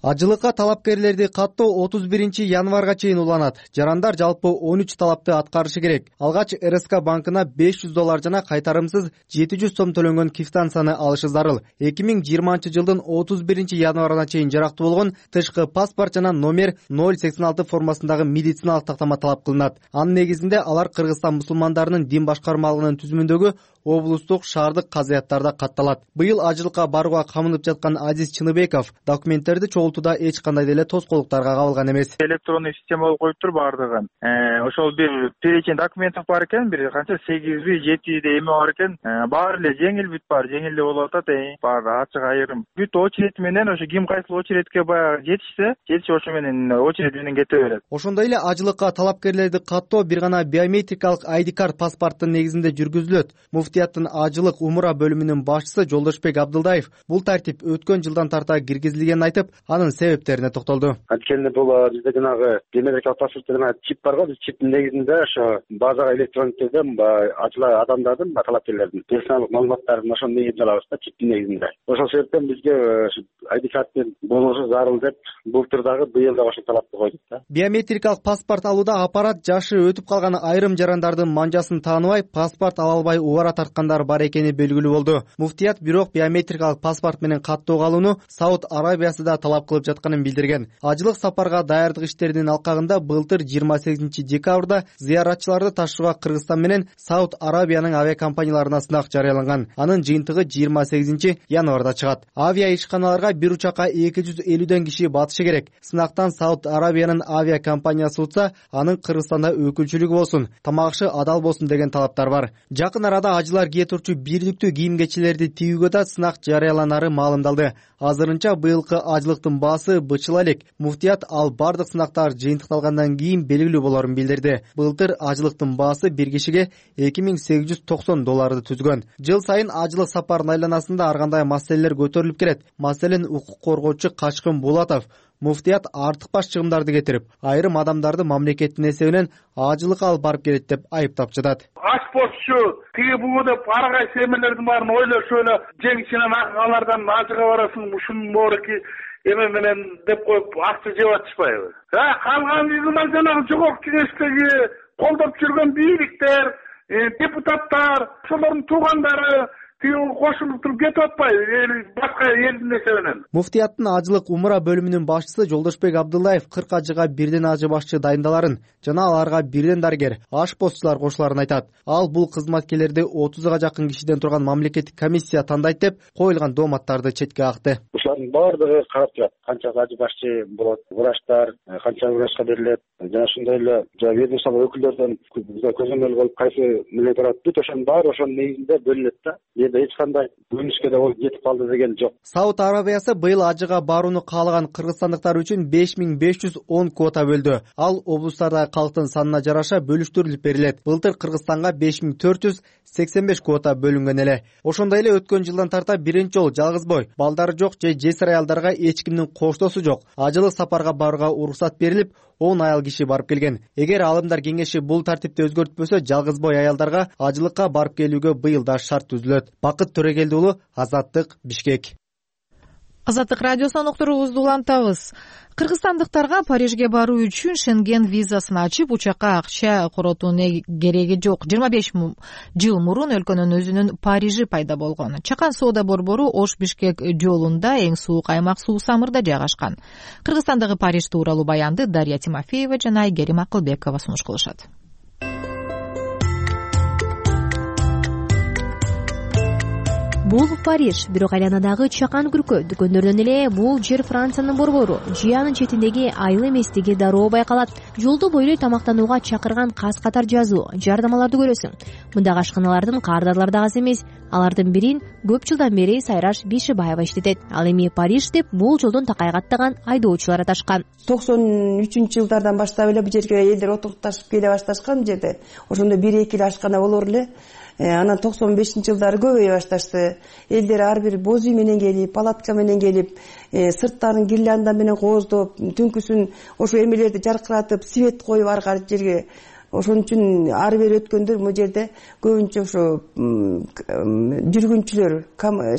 Ажылыкка талапкерлерди каттоо 31 январга чейин уланат. Жарандар жалпы 13 талапты аткарышы керек. Алгач РСК банкына $500 жана кайтарымсыз 700 сом төлөнгөн квитанцияны алышы зарыл. 2020 жылдын 31 январына чейин жарактуу болгон тышкы паспорт жана номер 086 формасындагы медициналык тактама талап кылынат. Анын негизинде алар Кыргызстан мусулмандарынын дин башкармалыгынын түзүмүндөгү облустук шаардык казыяттарда катталат. Быйыл ажылыкка барууга камынып жаткан Азиз Чыныбеков документтерди чогултууда эч кандай деле тоскоолдуктарга кабылган эмес. Электрондук система болуп коюптур баардыгын. Ошол бир перечень документов бар экен, бир канча 8-7 эме бар экен. Баары эле жеңил бүт бар, жеңил эле болуп атат. Баары ачык айрым. Бүт очередь менен ошо ким кайсыл очередке баягы жетишсе ошо менен очередь менен кете берет. Ошондой эле ажылыкка талапкерлерди каттоо бир гана биометрикалык ID карт паспорттун негизинде жүргүзүлөт. Муфтияттын ажылык умура бөлүмүнүн башчысы Жолдошбек Абдылдаев бул тартип өткөн жылдан тарта киргизилгенин айтып, анын себептерине токтолду. Анткени бул бизде жанагы биометрикалык паспортто жана чип бар го, чиптин негизинде ошо базага электрондук түрдө ачыла адамдардын, талапкерлердин персоналдык маалыматтарын ошонун негизинде алабыз да, чиптин негизинде. Ошол себептен бизге ID карттын болушу зарыл деп былтыр дагы быйыл да ошол талапты койдук да. Биометрикалык паспорт алууда аппарат жашы өтүп калган айрым жарандардын манжасын тааныбай, паспорт ала албай убара тарткандар бар экени белгилүү болду. Муфтият бирок биометрикалык паспорт менен каттоого алууну Сауд Арабиясы да талап кылып жатканын билдирген. Ажылык сапарга даярдык иштеринин алкагында былтыр 28 декабрда зыяратчыларды ташууга Кыргызстан менен Сауд Арабиянын авиакомпанияларына сынак жарыяланган. Анын жыйынтыгы 28 январда чыгат. Авиа ишканаларга бир учакка 250ден киши батышы керек. Сынактан Сауд Арабиянын авиакомпаниясы утса, анын Кыргызстанда өкүлчүлүгү болсун, тамак ашы адал болсун деген талаптар бар. Жакын арада ажылар кие турчу бирликтүү кийим кечелерди тигүүгө да сынак жарыяланары маалымдалды. Азырынча быйылкы ажылыктын баасы бычыла элек. Муфтият ал бардык сынактар жыйынтыкталгандан кийин белгилүү болорун билдирди. Былтыр ажылыктын баасы бир кишиге $2890 түзгөн. Жыл сайын ажылык сапарынын айланасында ар кандай маселелер көтөрүлүп келет. Маселен, укук коргоочу Качкын Булатов муфтият артыкпаш чыгымдарды кетирип, айрым адамдарды мамлекеттин эсебинен ажылыкка алып барып келет деп айыптап жатат. Ашпозчу тиги бугу деп ар кайсы эмелердин баарын ойлошуп эле жеңишинен алардан ажыга барасың, ушунун баары эме менен деп коюп акча жеп атышпайбы? Калган мына жанагы жогорку кеңештеги колдоп жүргөн бийликтер, депутаттар, ошолордун туугандары кошулуп туруп кетип атпайбы башка элдин эсебинен? Муфтияттын ажылык умура бөлүмүнүн башчысы Жолдошбек Абдуллаев 40 ажыга бирден ажы башчы дайындаларын жана аларга бирден дарыгер, ашпозчулар кошуларын айтат. Ал бул кызматкерлерди 30га жакын кишиден турган мамлекеттик комиссия тандайт деп коюлган дооматтарды четке какты. Ушулардын баардыгы карап турат. Канча ажы башчы болот, врачтар канча врачка берилет, жана ошондой эле ведомство өкүлдөрдөн көзөмөл болуп кайсы миле турат. Бүт ошонун баары ошонун негизинде бөлүнөт да. Эч кандай бөлүнүшкө да ол жетип калды деген жок. Сауд Арабиясы быйыл ажыга барууну каалаган кыргызстандыктар үчүн 5510 квота бөлдү. Ал облустардагы калктын санына жараша бөлүштүрүлүп берилет. Былтыр Кыргызстанга 5485 квота бөлүнгөн эле. Ошондой эле өткөн жылдан тарта биринчи жолу жалгыз бой, балдары жок же жесир аялдарга эч кимдин коштосу жок ажылык сапарга барууга уруксат берилип, 10 аял киши барып келген. Эгер алымдар кеңеши бул тартипти өзгөртпөсө, жалгыз бой аялдарга ажылыкка барып келүүгө быйыл да шарт түзүлөт. Бакыт Төрөгелди уулу, Азаттык, Бишкек. Азаттык радиосунан уктуруубузду улантабыз. Кыргызстандыктарга Парижге баруу үчүн Шенген визасын ачып, учакка акча коротуунун кереги жок. 25 жыл мурун өлкөнүн өзүнүн Парижи пайда болгон. Чакан соода борбору Ош-Бишкек жолунда эң суук аймак Суу-Самырда жайгашкан. Кыргызстандагы Париж тууралуу баянды Дарья Тимофеева жана Айгерим Акылбекова сунуш кылышат. Бул Париж, бирок айланадагы чакан күркө дүкөндөрдөн эле бул жер Франциянын борбору. Жыянын четиндеги айыл эместиги дароо байкалат. Жолду бойлой тамактанууга чакырган каз-катар жазуу, жардамаларды көрөсүң. Мындагы ашканалардын кардарлары да аз эмес. Алардын бирин көп жылдан бери Сайраш Бишибаева иштетет. Ал эми Париж деп бул жолдон такай каттаган айдоочулар аташкан. 93-жылдардан баштап эле бул жерге элдер отурукташып келе башташкан жерде. Ошондо 1-2 эле ашкана болор эле. Анан 95-жылдары көбөйө башташты. Элдер ар бир боз үй менен келип, палатка менен келип, сырттарын гирлянда менен кооздоп, түнкүсүн ошо эмелерди жаркыратып, свет коюп ар кар жерге. Ошон үчүн ар бир өткөндөр бул жерде көбүнчө ошо жүргүнчүлөр,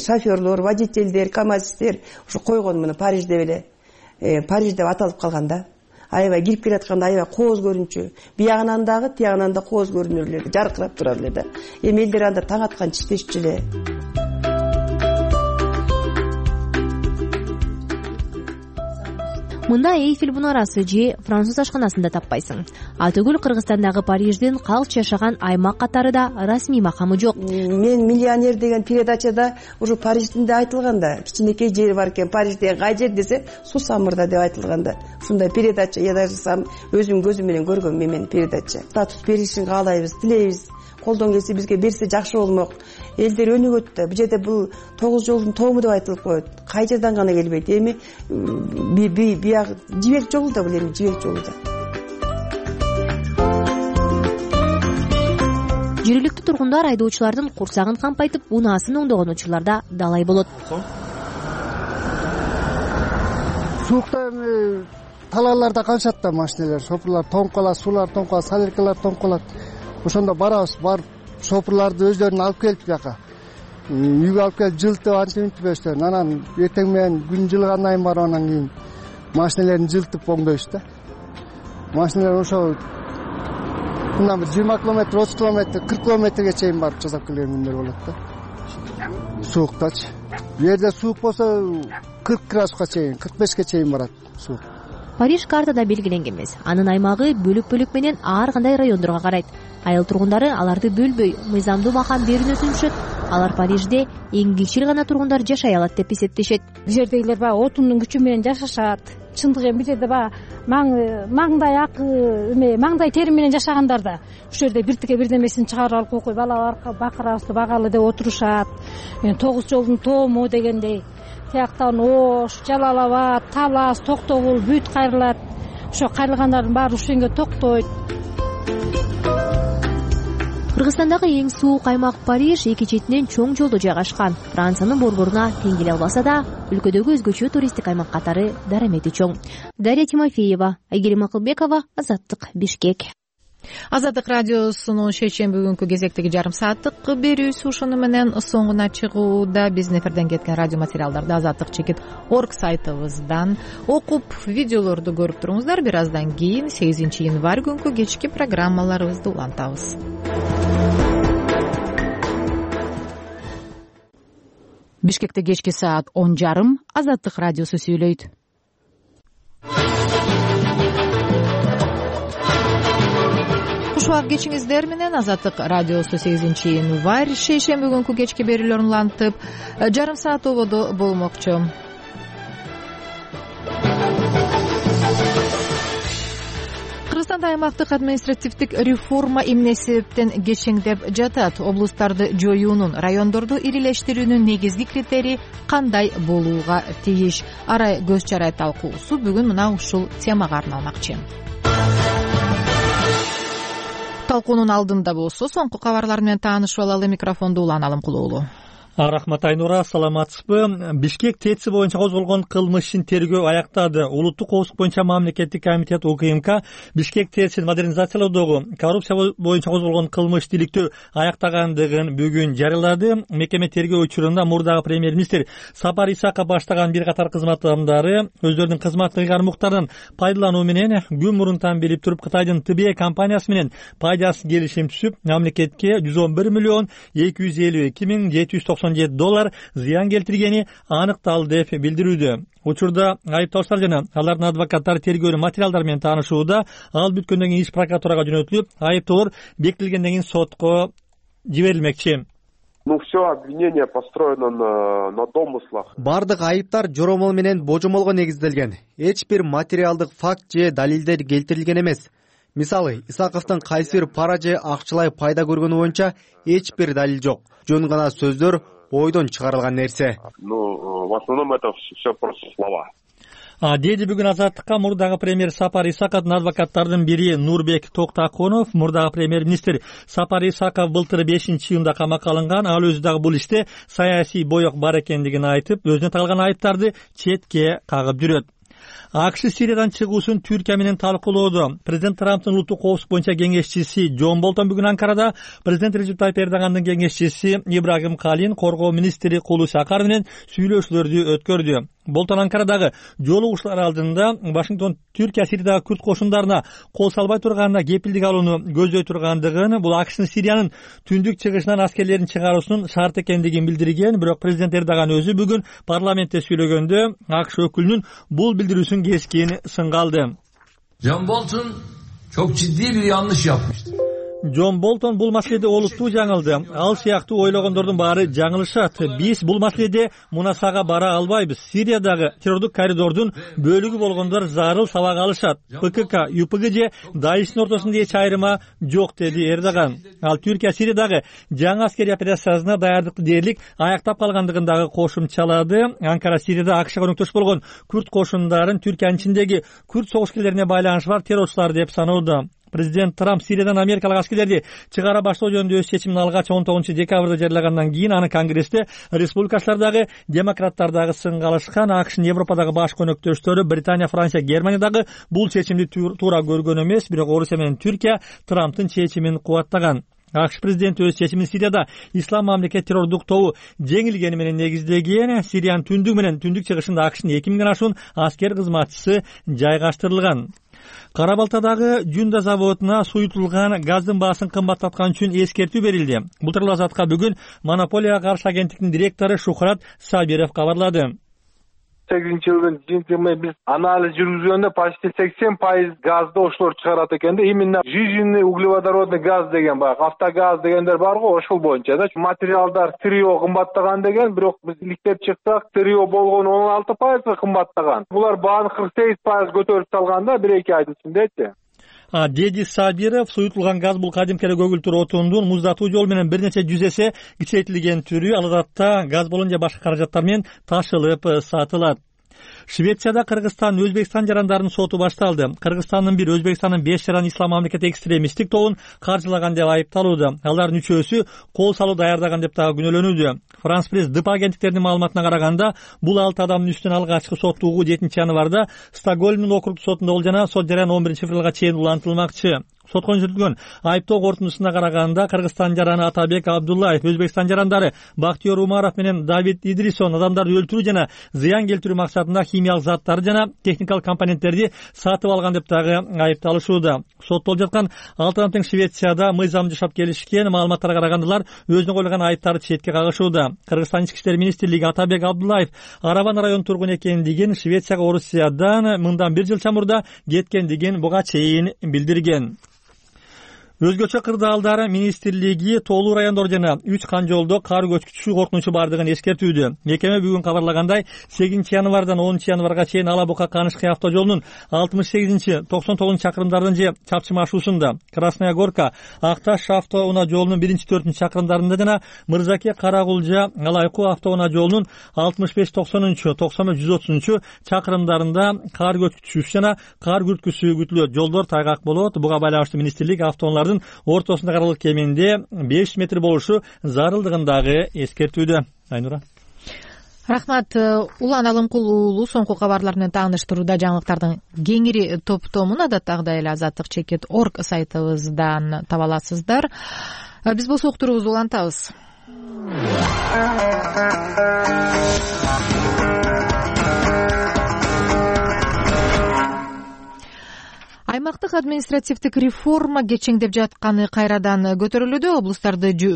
шофёрлор, водительдер, камазисттер ошо койгон муну Париж деп эле. Париж деп аталып калган да. Аябай кирип келатканда аябай кооз көрүнчү. Биягынан дагы, тиягынан да кооз көрүнөр эле, жаркырап турар эле да. Эми элдер анда таң атканча иштешчү эле. Мында Эйфель мунарасы же француз ашканасын да таппайсың. Ал түгүл Кыргызстандагы Париждин калч жашаган аймак катары да расмий макамы жок. Мен миллионер деген передачада уже Париждин да айтылган да. Кичинекей жери бар экен, Парижде кай жер десе, Суу-Самырда деп айтылган да. Ушундай передача я даже сам өзүм көзүм менен көргөм мен передача. Статус беришин каалайбыз, тилейбиз. Колдон келсе бизге берсе жакшы болмок. Элдер өнүгөт да. Бул жерде бул 9 жолдун тоому деп айтылып коет. Кай жерден гана келбейт. Эми биягы жибек жолу да бул эми жибек жолу да. Жергиликтүү тургундар айдоочулардын курсагын кампайтып, унаасын оңдогон учурларда далай болот. Суукта эми талааларда канчат да машиналар, шопурлар тоңуп калат, суулар тоңуп калат, соляркалар тоңуп калат. Ошондо барабыз, барып шопурларды өздөрүн алып келип жака. Үйгө алып келип жылтып антип өстөрүн. Анан эртең менен күн жылгандан кийин барып анан кийин машиналерин жылтып оңдойбуз да. Машиналар ошо мындан бир 20 километр, 30 километр, 40 километрге чейин барып жасап келген күндөр болот да. Сууктачы. Бу жерде суук болсо 40 градуска чейин, 45ке чейин барат суук. Париж картада белгиленген эмес. Анын аймагы бөлүк-бөлүк менен ар кандай райондорго карайт. Айыл тургундары аларды бөлбөй, мыйзамдуу макам берүүнү түшүнүшөт. Алар Парижде эң кичил гана тургундар жашай алат деп эсептешет. Бул жердегилер баягы отундун күчү менен жашашат. Чындыгы эми бул жерде баягы маңдай акы, маңдай тери менен жашагандар да ушул жерде биртике бирдемесин чыгарып алып койкуй балалар бакырабызды багалы деп отурушат. 9 жолдун тоому дегендей тияктан Ош, Жалал Абад, Талас, Токтогул бүт кайрылат. Ошо кайрылгандардын баары ушенге токтойт. Кыргызстандагы эң суук аймак Париж эки четинен чоң жолдо жайгашкан. Франциянын борборуна тең келе албаса да, өлкөдөгү өзгөчө туристтик аймак катары дарамети чоң. Дарья Тимофеева, Айгерим Акылбекова, Азаттык, Бишкек. Азаттык радиосунун шейшемби күнкү кезектеги жарым сааттык берүүсү ушуну менен соңуна чыгууда. Биздин эфирден кеткен радио материалдарды azattik.org сайтыбыздан окуп, видеолорду көрүп туруңуздар. Бир аздан кийин 8 январь күнкү кечки программаларыбызды улантабыз. Бишкекте кечки саат 10:30 Азаттык радиосу сүйлөйт. Кушубак кечиңиздер менен Азаттык радиосу 8 январь шейшемби күнкү кечки берүүлөрүн улантып, жарым саат ободо болмокчу. Кыргызстанда аймактык административдик реформа эмне себептен кечеңдеп жатат? Облустарды жоюунун, райондорду ирилештирүүнүн негизги критерии кандай болууга тийиш? Арай көз чарай талкуусу бүгүн мына ушул темага арналмакчы. Талкуунун алдында болсо соңку кабарлар менен таанышып алалы. Микрофонду Улан Алымкулуулу. Рахмат Айнура, саламатсызбы? Бишкек ТЭЦ боюнча козголгон кылмыш ишин тергөө аяктады. Улуттук коопсуздук боюнча мамлекеттик комитет УКМК Бишкек ТЭЦин модернизациялоодогу коррупция боюнча козголгон кылмыш иликтөө аяктагандыгын бүгүн жарыялады. Мекеме тергөө учурунда мурдагы премьер-министр Сапар Исаков баштаган бир катар кызмат адамдары өздөрүнүн кызматтык ыйгармуктарынан пайдалануу менен күн мурунтан билип туруп Кытайдын ТБ компаниясы менен пайдасыз келишим түзүп, мамлекетке 111 миллион 252 миң $797 зыян келтиргени аныкталды деп билдирүүдө. Учурда айыпталуучулар жана алардын адвокаттары тергөөнүн материалдары менен таанышууда. Ал бүткөндөн кийин иш прокуратурага жөнөтүлүп, айыптоолор бекитилгенден кийин сотко жиберилмекчи. Все обвинение построено на домыслах. Бардык айыптар жоромол менен божомолго негизделген. Эч бир материалдык факт же далилдер келтирилген эмес. Мисалы, Исаковдун кайсы бир пара же акчалай пайда көргөнү боюнча эч бир далил жок. Жөн гана сөздөр, ойдон чыгарылган нерсе. В основном это все просто слова. Деди бүгүн Азаттыкка мурдагы премьер Сапар Исаковдун адвокаттардын бири Нурбек Токтаконов. Мурдагы премьер-министр Сапар Исаков былтыр 5-июнда камакка алынган. Ал өзү дагы бул иште саясий боек бар экендигин айтып, өзүнө тагылган айыптарды четке кагып жүрөт. АКШ Сириядан чыгуусун Түркия менен талкуулоодо. Президент Трамптын улуттук коопсуздук боюнча кеңешчиси Джон Болтон бүгүн Анкарада президент Режеп Тайып Эрдогандын кеңешчиси Ибрагим Калин, коргоо министри Кулуш Акар менен сүйлөшүүлөрдү өткөрдү. Болтон Анкарадагы жолугушуулар алдында Вашингтон Түркия Сириядагы күрд кошундарына кол салбай турганына кепилдик алууну көздөй тургандыгын, бул АКШнын Сириянын түндүк чыгышынан аскерлерин чыгаруусунун шарт экендигин билдирген. Бирок президент Эрдоган өзү бүгүн парламентте сүйлөгөндө АКШ өкүлүнүн бул билдирүүсүн кескин сынга алды. John Bolton çok ciddi bir yanlış yapmıştır. Джон Болтон бул маселеде олуттуу жаңылды. Ал сыяктуу ойлогондордун баары жаңылышат. Биз бул маселеде мунасага бара албайбыз. Сириядагы террордук коридордун бөлүгү болгондор зарыл сабак алышат. ПКК, ЮПГ же Даиштин ортосунда эч айырма жок, деди Эрдоган. Ал Түркия Сириядагы жаңы аскерий операциясына даярдыкты дээрлик аяктап калгандыгын дагы кошумчалады. Анкара Сирияда АКШга өнөктөш болгон күрд кошундарын Түркиянын ичиндеги күрд согуш-келерлерине байланышы бар террорчулар деп саноодо. Президент Трамп Сириядан америкалык аскерлерди чыгара баштоо жөнүндө өз чечимин алгач 19 декабрда жарыялагандан кийин аны Конгрессте республикачылардагы, демократтардагы сынга алышкан. АКШнын Европадагы баш көнөктөштөрү Британия, Франция, Германиядагы бул чечимди туура көргөн эмес, бирок Орусия менен Түркия Трамптын чечимин кубаттаган. АКШ президенти өз чечимин Сирияда ислам мамлекет террордук тобу жеңилгени менен негиздеген. Сириянын түндүгү менен түндүк чыгышында АКШнын 2000 ашуун аскер кызматчысы жайгаштырылган. Кара Балтадагы Жунда заводуна суютулган газдын баасын кымбаттаткан үчүн эскертүү берилди. Бул тууралуу Азатка бүгүн монополияга каршы агенттиктин директору Шухрат Сабиров кабарлады. 2008-жылдын жыйынтыгы биз анализ жүргүзгөндө почти 80% газды ошолор чыгарат экен да. Именно жижинный углеводородный газ деген бар, автогаз дегендер бар го, ошол боюнча да. Материалдар трио кымбаттаган деген, бирок биз иликтеп чыксак, трио болгон 16% кымбаттаган. Булар бааны 48% көтөрүп салган да 1-2 айдын ичиндечи. деди Сабиров. Суютулган газ бул кадимки эле көгүлтүр отундун муздатуу жол менен бир нече жүз эсе кичейтилген түрү. Ал адатта газ баллон же башка каражаттар менен ташылып сатылат. Швецияда Кыргызстан Өзбекстан жарандарын соту башталды. Кыргызстандын 1, Өзбекстандын 5 жаран ислам мамлекети экстремисттик тобун каржылаган деп айыпталууда. Алардын үчөөсү кол салуу даярдаган деп дагы күнөөлөнүүдө. Франс пресс ДП агенттиктеринин маалыматына караганда, бул 6 адамдын үстүнөн алгачкы соттугуу 7-январда Стокгольмдун округдук сотунда болуп жана сот жараны 11-февралга чейин улантылмакчы. Сотко жүргүзүлгөн айыптоо корутундусуна караганда, Кыргызстан жараны Атабек Абдуллаев, Өзбекстан жарандары Бактиер Умаров менен Давид Идрисон адамдарды өлтүрүү жана зыян келтирүү максатында химиялык заттарды жана техникалык компоненттерди сатып алган деп дагы айыпталышууда. Соттолуп жаткан 6 адам тең Швецияда мыйзам жашап келишкен. Маалыматтарга караганда өзүнө коюлган айыптарды четке кагышууда. Кыргызстан ички иштер министрлиги Атабек Абдуллаев Арабан район тургун экендигин, Швецияга Орусиядан мындан 1 жыл чамурда кеткендигин буга чейин билдирген. Өзгөчө кырдаалдар министрлиги Тоолуу райондор жана 3 кан жолдо кар көчкүчү коркунучу бардыгын эскертүүдө. Мекеме бүгүн кабарлагандай, 8-январдан 10-январга чейин Ала Бука Канышкы автожолунун 68-99 чакырымдардын же Чапчы машуусунда, Красная Горка Акташ автоунаа жолунун 1-4 чакырымдарында жана Мырзаке Карагулжа Алайку автоунаа жолунун 65-90-90-130 чакырымдарында кар көчкүчү жана кар күрткүсү күтүлөт. Жолдор тайгак болот. Буга байланыштуу министрлик автоунаалардын ортосунда аралык кеминде 5 метр болушу зарылдыгын дагы эскертүүдө. Айнура. Рахмат. Улан Алымкул уулу соңку кабарлар менен тааныштырууда жаңылыктардын кеңири топтомун адаттагыдай эле azatlyk.org сайтыбыздан таба аласыздар. Биз болсо уктуруубузду улантабыз. Аймактык административдик реформа кечеңдеп жатканы кайрадан көтөрүлүүдө.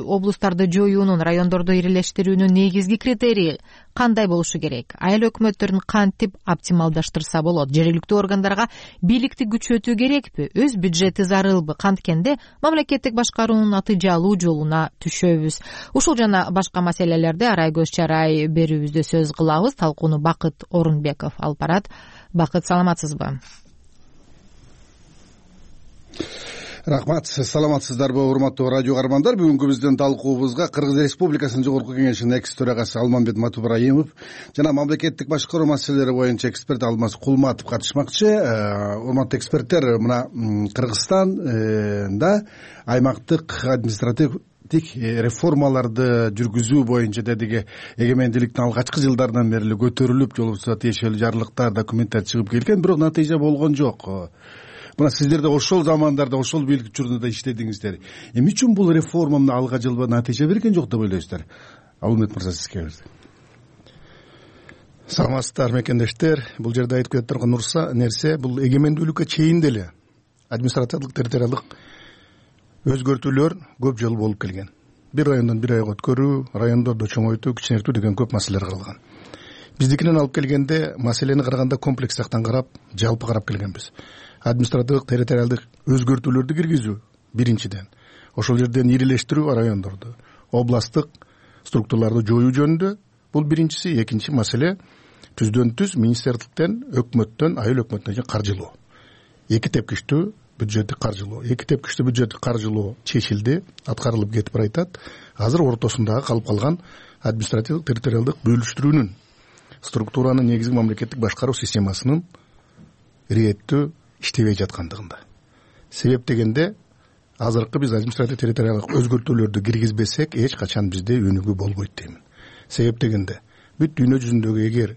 Облустарды жоюунун, райондорду ирелештирүүнүн негизги критерийи кандай болушу керек? Айыл өкмөттөрүн кантип оптималдаштырса болот? Жергиликтүү органдарга бийликти күчөтүү керекпи? Өз бюджети зарылбы? Канткенде мамлекеттик башкаруунун натыйжалуу жолуна түшөбүз. Ушул жана башка маселелерди арай көз чарай берүүбүздө сөз кылабыз. Талкууну Бакыт Орунбеков алып барат. Бакыт, саламатсызбы? Рахмат, саламатсыздарбы урматтуу радио каармандар. Бүгүнкү биздин талкуубузга Кыргыз Республикасынын Жогорку Кеңешинин экс төрагасы Алмамбет Матубраимов жана мамлекеттик башкаруу маселелери боюнча эксперт Алмаз Кулматов катышмакчы. Урматтуу эксперттер, мына Кыргызстанда аймактык административдик реформаларды жүргүзүү боюнча дедиги эгемендүүлүктүн алгачкы жылдарынан бери көтөрүлүп, жол болбосо тиешелүү жарлыктар, документтер чыгып келген, бирок натыйжа болгон жок. Мына сиздер да ошол замандарда ошол бийлик учурунда иштедиңиздер. Эмне үчүн бул реформа алга жылба натыйжа берген жок деп ойлойсуздар? Алымбет мырза, сизге берди. Саламатсыздар мекендештер. Бул жерде айтып кетип турган нерсе, бул эгемендүүлүккө чейин деле административдик территориалдык өзгөртүүлөр көп жыл болуп келген. Бир райондон бир районго өткөрүү, райондорду чоңойтуу, кичинертүү деген көп маселелер каралган. Биздикинен алып келгенде маселени караганда комплекс жактан карап, жалпы карап келгенбиз. Административдик территориалдык өзгөртүүлөрдү киргизүү биринчиден, ошол жерден ирелештирүү райондорду, областтык структураларды жоюу жөнүндө бул биринчиси. Экинчи маселе түздөн түз министрликтен, өкмөттөн, айыл өкмөтүнө каржылоо. Эки тепкичтүү бюджеттик каржылоо. Эки тепкичтүү бюджеттик каржылоо чечилди, аткарылып кетип баратат. Азыр ортосундагы калып калган административдик территориалдык бөлүштүрүүнүн, структуранын негизги мамлекеттик башкаруу системасынын иреттүү иштебей жаткандыгында. Себеп дегенде, азыркы биз административдик территориалдык өзгөртүүлөрдү киргизбесек, эч качан бизде өнүгүү болбойт деймин. Себеп дегенде, бүт дүйнө жүзүндөгү эгер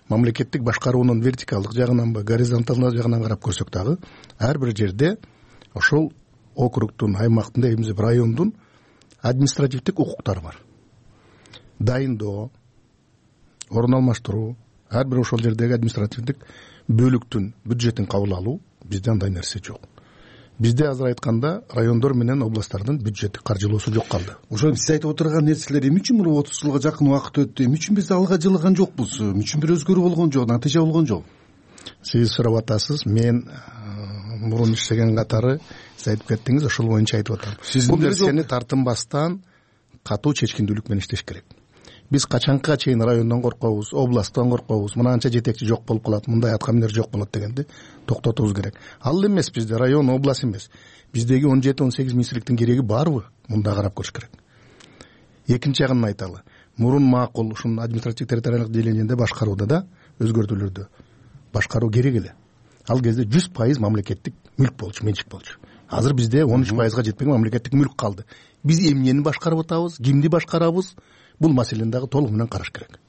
мамлекеттик башкаруунун вертикалдык жагынанбы, горизонталдык жагынан карап көрсөк дагы, ар бир жерде ошол округдун, аймактын, эмне райондун административдик укуктары бар. Дайындоо, орун алмаштыруу, ар бир ошол жердеги административдик бөлүктүн бюджетин кабыл алуу, бизде андай нерсе жок. Бизде азыр айтканда райондор менен областтардын бюджеттик каржылоосу жок калды. Ошол сиз айтып отурган нерселер эмне үчүн бул 30 жылга жакын убакыт өттү? Эмне үчүн биз алга жылган жокпуз? Эмне үчүн бир өзгөрүү болгон жок, натыйжа болгон жок? Сиз сурап атасыз, мен мурун иштеген катары сиз айтып кеттиңиз, ошол боюнча айтып атам. Бул нерсени тартынбастан катуу чечкиндүүлүк менен иштеш керек. биз качанга чейин райондон коркобуз, областтан коркобуз, мынанча жетекчи жок болуп калат, мындай аткаминер жок болот дегенди токтотубуз керек. Ал эмес бизде район, область эмес. Биздеги 17-18 министрликтин кереги барбы? Мында карап көрүш керек. Экинчи жагын айталы. Мурун макул ушун административдик территориалдык делениенде башкарууда да өзгөртүүлөрдү башкаруу керек эле. Ал кезде 100% мамлекеттик мүлк болчу, менчик болчу. Азыр бизде 13%га жетпеген мамлекеттик мүлк калды. Биз эмнени башкарып атабыз, кимди башкарабыз? Бул маселени дагы толук менен караш керек.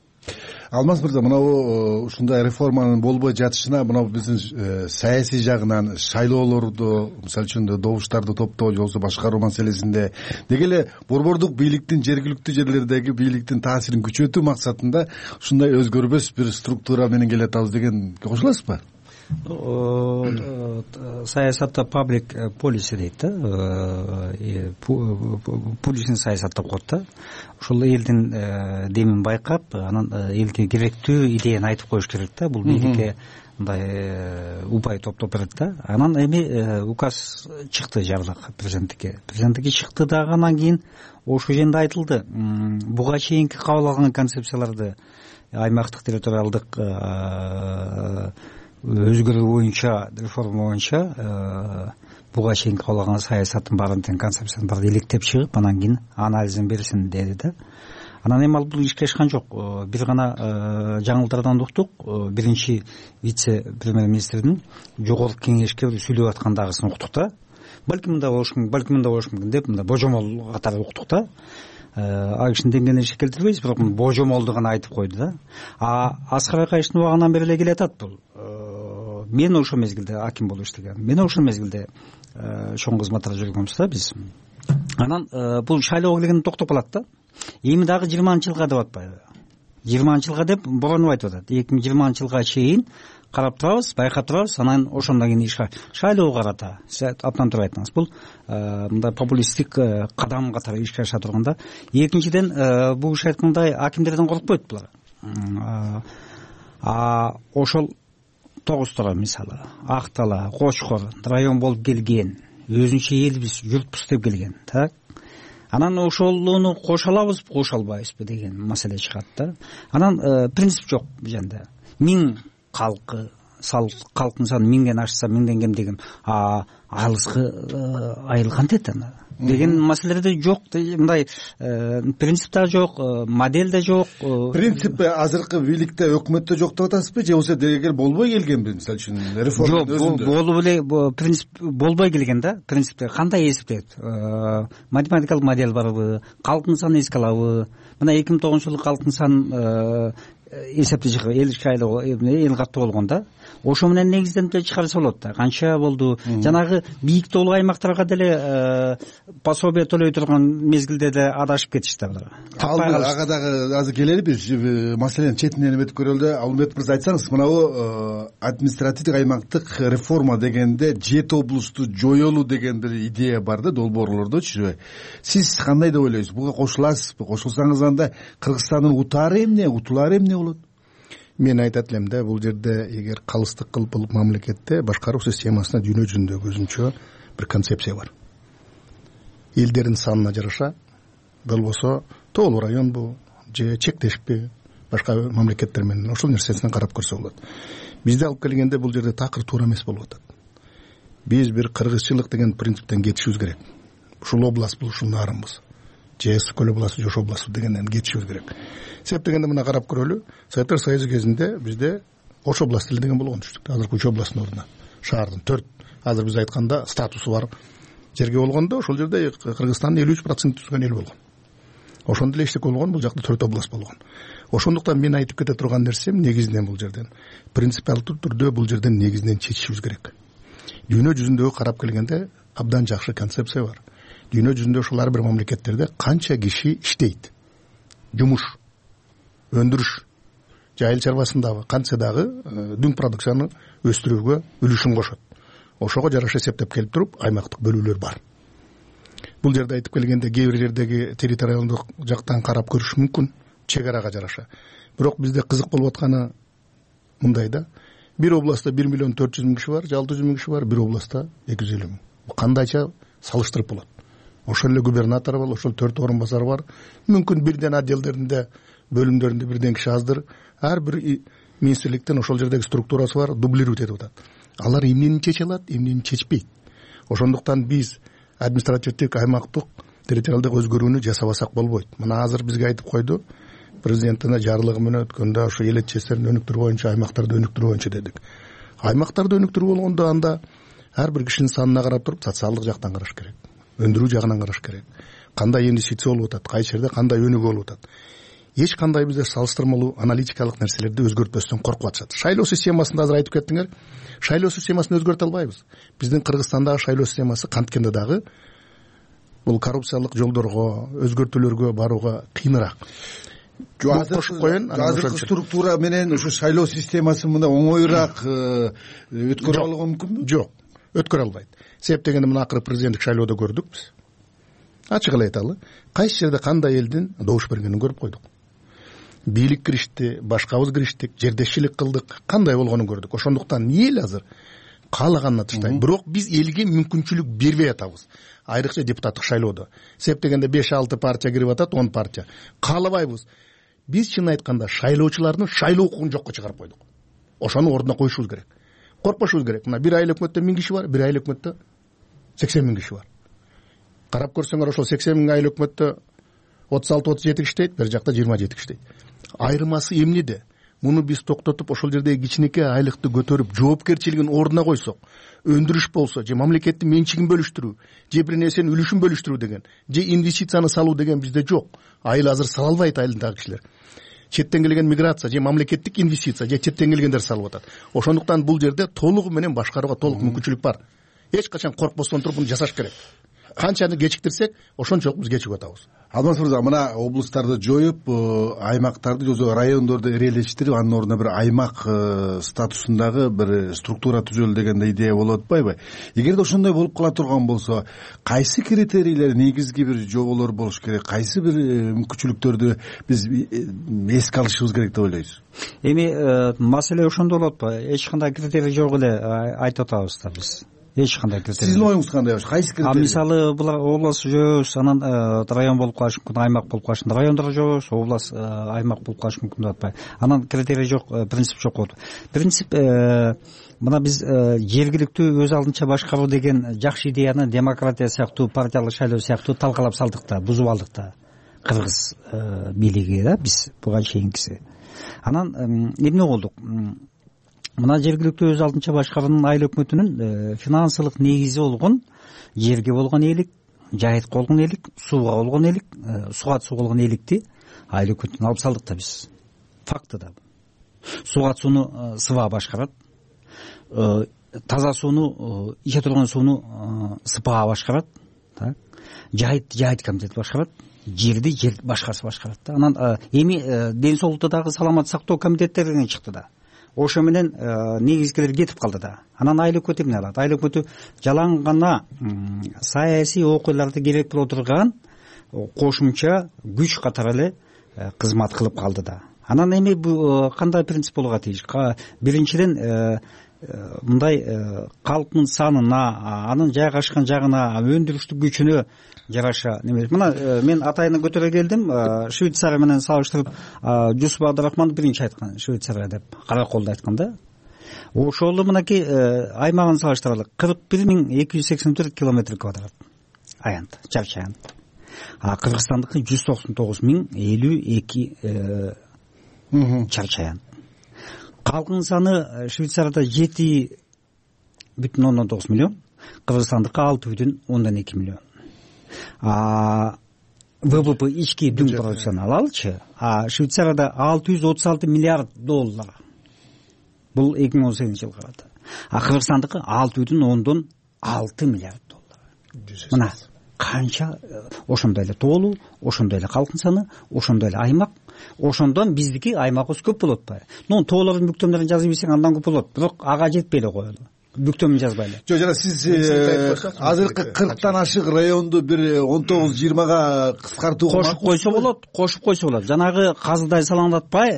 Алмаз мырза, мынау ушундай реформанын болбой жатышына мынау биздин саясий жагынан шайлоолорду, мисалы үчүн добуштарды топтоо же болбосо башкаруу маселесинде деги эле борбордук бийликтин жергиликтүү жерлердеги бийликтин таасирин күчөтүү максатында ушундай өзгөрбөс бир структура менен келатабыз дегенге кошуласызбы? Саясатта паблик полиси дейт да, публичный саясат деп коет да. Ушул элдин демин байкап, анан элге керектүү идеяны айтып коюш керек да. Бул бийликке мындай упай топтоп берет да. Анан эми указ чыкты жарлык президенттикке чыкты дагы. Анан кийин ошол жерде айтылды, буга чейинки кабыл алган концепцияларды аймактык территориалдык өзгөрүү боюнча, реформа боюнча буга чейин кабыл алган саясаттын баарын тең концепциянын баарын иликтеп чыгып, анан кийин анализин берсин деди да. Анан эми ал бул ишке ашкан жок. Бир гана жаңылыктардан уктук. Биринчи вице-премьер-министрдин жогорку кеңешке сүйлөп аткандагысын уктук да. Балким мында болуш мүмкүн деп мында божомол катары уктук да. А кишинин деңгээлине иши келтирбейбиз, бирок божомолду гана айтып койду да. Аскар Акаевдин убагынан бери эле келатат бул. Мен ошол мезгилде аким болуп иштегем. Мен ошол мезгилде чоң кызматта жүргөнбүз да биз. Анан бул шайлоого келгенде токтоп калат да. Эми дагы 20-жылга деп атпайбы? 20-жылга деп бороонуп айтып атат. 2020-жылга чейин карап турабыз, байкап турабыз, анан ошондон кийин иш шайлоого карата. Сиз абдан туура айттыңыз. Бул мындай популисттик кадам катары ишке аша турганда. Экинчиден, бул иш айткандай акимдерден коркпойт булар. Ошол Тогуз-Тора мисалы, Актала, Кочкор район болуп келген, өзүнчө элбиз, журтпуз деп келген, так? Анан ошолуну кошо алабызбы, кошо албайбызбы деген маселе чыгат да. Анан принцип жок бул жерде. 1000 калкы, калктын саны 1000ден ашса 1000ден кем деген алыскы айылган дейт ана. Деген маселелерде жок, мындай принцип да жок, модель да жок. Принцип азыркы бийликте, өкмөттө жок деп атасызбы, же болбосо дегел болбой келгенби, мисалы үчүн реформанын өзүндө? Жок, болуп эле принцип болбой келген да. Принципте кандай эсептейт? Математикалык модель барбы? Калктын санын эске алабы? Мына 2009-жылы калктын санын эсепти чыгып, эл каттуу болгон да. Ошо менен негизденип чыгарса болот да. Канча болду? Жанагы бийик тоолуу аймактарга деле пособие төлөй турган мезгилде да адашып кетишти булар. Ага дагы азыр келели биз маселенин четинен эметип көрөлү да. Алмет мырза, айтсаңыз, мынабу административдик аймактык реформа дегенде 7 облусту жоёлуу деген бир идея бар да, долбоорлордочу. Сиз кандай деп ойлойсуз? Буга кошуласызбы? Кошулсаңыз анда Кыргызстандын утаары эмне, утулаары эмне болот? Мен айтат элем да, бул жерде эгер калыстык кылып бул мамлекетте башкаруу системасына дүйнө жүзүндөгү өзүнчө бир концепция бар. Элдердин санына жараша, болбосо тоолуу районбу же чектешпи башка мамлекеттер менен ошол нерсесине карап көрсө болот. Бизди алып келгенде бул жерде такыр туура эмес болуп атат. Биз бир кыргызчылык деген принциптен кетишибиз керек. Ушул область бул, ушул нарынбыз. Же Көл областы, же ошол область дегенден кетишибиз керек. Себеп дегенде мына карап көрөлү. Советтер Союзу кезинде бизде Ош областы деген болгон түштүк. Азыркы 3 областтын ордуна шаардын 4, азыр биз айтканда статусу бар жерге болгондо, ошол жерде Кыргызстандын 53% түзгөн эл болгон. Ошондо эле эчтеке болгон, бул жакта 4 область болгон. Ошондуктан мен айтып кете турган нерсем негизинен бул жерден принципиалдуу түрдө бул жерден негизинен чечишибиз керек. Дүйнө жүзүндөгү карап келгенде абдан жакшы концепция бар. Дүйнө жүзүндө ушул ар бир мамлекеттерде канча киши иштейт, жумуш, өндүрүш, айыл чарбасындагы канча дагы дүң продукцияны өстүрүүгө үлүшүн кошот. Ошого жараша эсептеп келип туруп аймактык бөлүүлөр бар. Бул жерде айтып келгенде кээ бир жердеги территориалдык жактан карап көрүш мүмкүн, чек арага жараша. Бирок бизде кызык болуп атканы мындай да, бир областта 1.400.000 киши бар, 600.000 киши бар, бир областта 250.000. Бул кандайча салыштырып болот? Ошол эле губернатор бар, ошол 4 орун басары бар. Мүмкүн бирден отделдеринде бөлүмдөрүндө бирден киши аздыр. Ар бир министрликтен ошол жердеги структурасы бар, дублировать этип атат. Алар эмнени чече алат, эмнени чечпейт. Ошондуктан биз административдик аймактык территориалдык өзгөрүүнү жасабасак болбойт. Мына азыр бизге айтып койду, президенттин жарлыгы менен өткөндө ошо эл чечтерин өнүктүрүү боюнча, аймактарды өнүктүрүү боюнча дедик. Аймактарды өнүктүрүү болгондо анда ар бир кишинин санына карап туруп социалдык жактан караш керек, өндүрүү жагынан караш керек. Кандай инвестиция болуп атат, кайсы жерде кандай өнүгүү болуп атат. Эч кандай бизде салыштырмалуу аналитикалык нерселерди өзгөртпөстөн коркуп атышат. Шайлоо системасын азыр айтып кеттиңер. Шайлоо системасын өзгөртө албайбыз. Биздин Кыргызстандагы шайлоо системасы канткенде дагы бул коррупциялык жолдорго, өзгөртүүлөргө барууга кыйыныраак. Азыркы структура менен ушу шайлоо системасын мына оңоюраак өткөрө алууга мүмкүнбү? Жок, өткөрө албайт. Себеп дегенде мына акыры президенттик шайлоодо көрдүк биз. Ачык эле айталы, кайсы жерде кандай элдин добуш бергенин көрүп койдук. Бийлик киришти, башкабыз кириштик, жердешчилик кылдык, кандай болгонун көрдүк. Ошондуктан эл азыр каалаганына таштайт. Бирок биз элге мүмкүнчүлүк бербей атабыз. Айрыкча депутаттык шайлоодо. Себеп дегенде 5-6 партия кирип атат, 10 партия. Каалабайбыз. Биз чын айтканда шайлоочулардын шайлоо укугун жокко чыгарып койдук. Ошону ордуна коюшубуз керек. Коркпошубуз керек. Мына бир айыл өкмөттө 1000 киши бар, бир айыл өкмөттө 80 000 киши бар. Карап көрсөңөр ошол 80 000 айыл өкмөттө 36-37 киши дейт, бир жакта 27 киши дейт. Айырмасы эмнеде? Муну биз токтотуп ошол жердеги кичинекей айлыкты көтөрүп, жоопкерчилигин ордуна койсок, өндүрүш болсо, же мамлекеттин менчигин бөлүштүрүү, же бир нерсенин үлүшүн бөлүштүрүү деген, же инвестицияны салуу деген бизде жок. Айыл азыр сала албайт, айылдагы кишилер. Четтен келген миграция, же мамлекеттик инвестиция, же четтен келгендер салып атат. Ошондуктан бул жерде толугу менен башкарууга толук мүмкүнчүлүк бар. Эч качан коркпостон туруп муну жасаш керек. Канчаны кечиктирсек, ошончолук биз кечигип атабыз. Алмаз мырза, мына облустарды жоюп, аймактарды же райондорду ирелештирип, анын ордуна бир аймак статусундагы бир структура түзөлө деген идея болуп атпайбы? Эгерде ошондой болуп кала турган болсо, кайсы критерийлер, негизги бир жоболор болуш керек, кайсы бир мүмкүнчүлүктөрдү биз эске алышыбыз керек деп ойлойсуз? Эми маселе ошондо болот го. Эч кандай критерий жок эле айтып атабыз да биз. Эч кандай критерий. Сиздин оюңуз кандай? Кайсы критерий? Мисалы булар область жөөбүз, анан район болуп калышы мүмкүн, аймак болуп калышы. Райондор жөөбүз, область, аймак болуп калышы мүмкүн деп атпайбы. Анан критерий жок, принцип жок болот. Принцип мына биз жергиликтүү өз алдынча башкаруу деген жакшы идеяны демократия сыяктуу, партиялык шайлоо сыяктуу талкалап салдык да, бузуп алдык да. Кыргыз бийлиги да, биз буга чейинкиси. Анан эмне болдук? Мына жергиликтүү өз алдынча башкаруунун айыл өкмөтүнүн финансылык негизи болгон жерге болгон ээлик, жайытка болгон ээлик, сууга болгон ээлик, суга суу болгон ээликти айыл өкмөтүнөн алып салдык да биз. Факты да. Суга сууну СВА башкарат. Таза сууну, иче турган сууну СПА башкарат. Жайыт комитети башкарат. Жерди жер башкасы башкарат да. Анан эми ден соолукта дагы саламат сактоо комитеттеринен чыкты да. Ошо менен негизгилер кетип калды да. Анан айыл өкмөтү эмне алат? Айыл өкмөтү жалаң гана саясий окуяларды керек боло турган кошумча күч катары эле кызмат кылып калды да. Анан эми бул кандай принцип болууга тийиш? Биринчиден мындай калктын санына, анын жайгашкан жагына, өндүрүштүк күчүнө жараша неме. Мына мен атайын көтөрө келдим, Швейцария менен салыштырып, Жусуп Абдрахман биринчи айткан, Швейцария деп Караколду айткан да. Ошол мынакей аймагын салыштыралы. 41.284 километр квадрат аянт, чарчы аянт. Кыргызстандыкы 199.052 чарчы аянт. Калкын саны Швейцарияда 7,9 миллион, Кыргызстандыкы 6,2 миллион. ВВП ички дүң продукцияны алалычы, Швейцарияда 636 миллиард доллар. Бул 2018 жылга карата. Кыргызстандыкы 6,6 миллиард доллар. Мына канча ошондой эле тоолуу, ошондой эле калкын саны, ошондой эле аймак. Ошондон биздики аймагыбыз көп болот атпайбы? Бүктөмдөрдүн бүктөмдөрүн жазып ийсең андан көп болот. Бирок ага жетпей эле коелу. Бүктөмүн жазбайлы. Жок, жана сиз азыркы 40тан ашык районду бир 19-20га кыскартууга кошуп койсо болот. Жанагы казыдай салаңдатпай,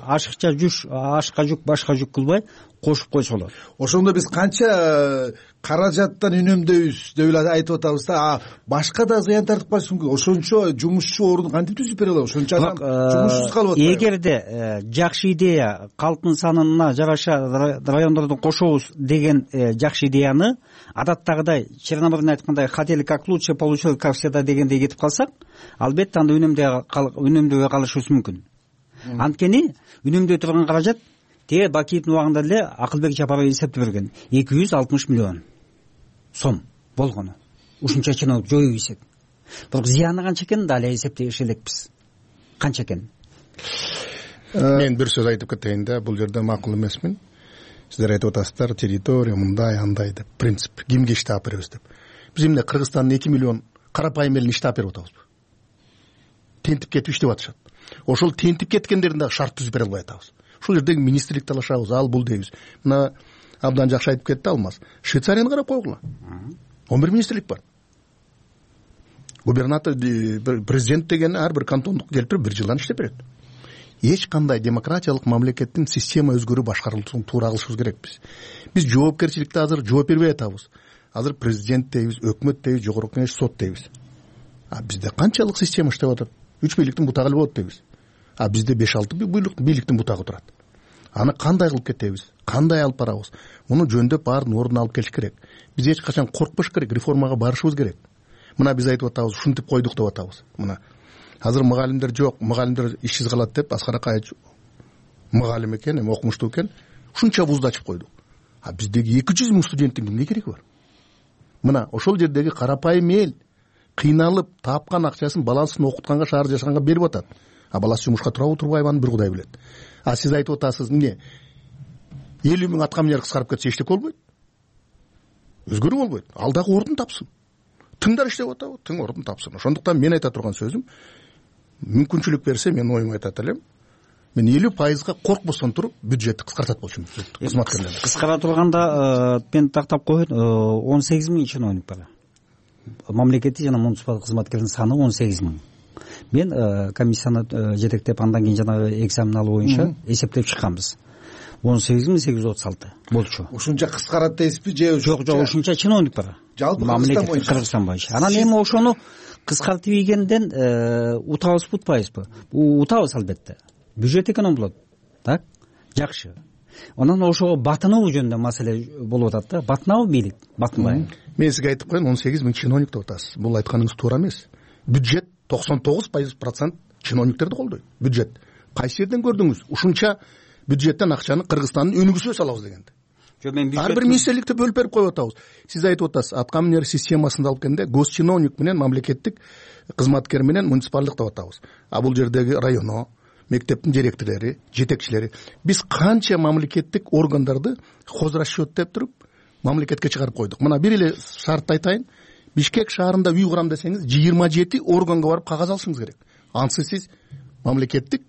ашыкча жүк, ашка жүк, башка жүк кылбай, кошуп койсо болот. Ошондо биз канча каражаттан үнөмдөйбүз деп эле айтып атабыз да, башка да зыян тартып калышы мүмкүн. Ошончо жумушчу ордун кантип түзүп бере алабыз? Ошончо адам жумушсуз калып атпайбы? Эгерде жакшы идея, калктын санына жараша райондорду кошобуз деген жакшы идеяны адаттагыдай Черномырдин айткандай хотели как лучше, получилось как всегда дегендей кетип калсак, албетте анда үнөмдөбөй калышыбыз мүмкүн. Анткени үнөмдөй турган каражат тээ Бакиевдин убагында эле Акылбек Жапаров эсептеп берген 260 миллион сом болгону. Ушунча чиновник жоюп ийсек. Бирок зыяны канча экенин да эле эсептеш элекпиз. Канча экенин. Мен бир сөз айтып кетейин да, бул жерде макул эмесмин. Сиздер айтып атасыздар, территория мындай андай деп, принцип, кимге иштеп беребиз деп. Биз эмне Кыргызстандын 2 миллион карапайым элин иштеп берип атабызбы? Тентип кетип иштеп атышат. Ошол тентип кеткендерин дагы шарт түзүп бере албай атабыз. Ушул жердеги министрлик талашабыз, ал бул дейбиз. Мына абдан жакшы айтып кетти Алмаз. Швейцарияны карап койгула. 11 министрлик бар. Губернатор, президент деген ар бир кантондук келтирип 1 жылдан иштеп берет. Эч кандай демократиялык мамлекеттин система өзгөрүү башкарылышын туура кылышыбыз керекпиз. Биз жоопкерчиликте азыр жооп бербей атабыз. Азыр президент дейбиз, өкмөт дейбиз, жогорку кеңеш, сот дейбиз. Бизде канчалык система иштеп атат? 3 бийликтин бутагы эле болот дейбиз. Бизде 5-6 бийликтин бутагы турат. Аны кандай кылып кетебиз? Кандай алып барабыз? Муну жөндөп баарын ордуна алып келиш керек. Биз эч качан коркпош керек, реформага барышыбыз керек. Мына биз айтып атабыз, ушинтип койдук деп атабыз. Мына азыр мугалимдер жок, мугалимдер ишсиз калат деп Аскар Акаевич мугалим экен, эми окумуштуу экен, ушунча вузду ачып койдук. Биздеги 200 миң студенттин кимге кереги бар? Мына ошол жердеги карапайым эл кыйналып тапкан акчасын баласын окутканга, шаар жашаганга берип атат. Баласы жумушка турабы, турбайбы, аны бир Кудай билет. Сиз айтып атасыз, эмне? 50 миң аткаминер кыскарып кетсе эчтеке болбойт. Өзгөрүү болбойт. Ал дагы ордун тапсын. Тыңдар иштеп атабы? Тың ордун тапсын. Ошондуктан мен айта турган сөзүм, мүмкүнчүлүк берсе мен оюмду айтат элем. Мен 50%га коркбостон туруп бюджетти кыскартат болчумун. Кызматкерлерди кыскара турганда мен тактап коеюн, 18 миң чиновник бар. Мамлекеттик жана муниципалдык кызматкердин саны 18 миң. Мен комиссияны жетектеп, андан кийин жанагы экзаменалы боюнча эсептеп чыкканбыз. 18.836 болчу. Ушунча кыскарат дейсизби же? Жок, ушунча чиновник бар. Жалпы Кыргызстан боюнча. Анан эми ошону кыскартып ийгенден утабызбы, утпайбызбы? Утабыз албетте. Бюджет эконом болот. Так? Жакшы. Анан ошого батынуу жөнүндө маселе болуп атат да. Батынабы бийлик? Батынбайбы? Мен сизге айтып коеюн, 18 миң чиновник деп атасыз. Бул айтканыңыз туура эмес. Бюджет 99% чиновниктерди колдойт. Бюджет. Кайсы жерден көрдүңүз? Ушунча бюджеттен акчаны Кыргызстандын өнүгүүсүнө салабыз дегенде. Ар бир министрликти бөлүп берип коюп атабыз. Сиз айтып атасыз, аткаминер системасында алып келгенде госчиновник менен мамлекеттик кызматкер менен муниципалдык деп атабыз. Бул жердеги районо, мектептин директорлори, жетекчилери, биз канча мамлекеттик органдарды хозрасчет деп туруп мамлекетке чыгарып койдук. Мына бир эле шартты айтайын. Бишкек шаарында үй курам десеңиз 27 органга барып кагаз алышыңыз керек. Ансыз сиз мамлекеттик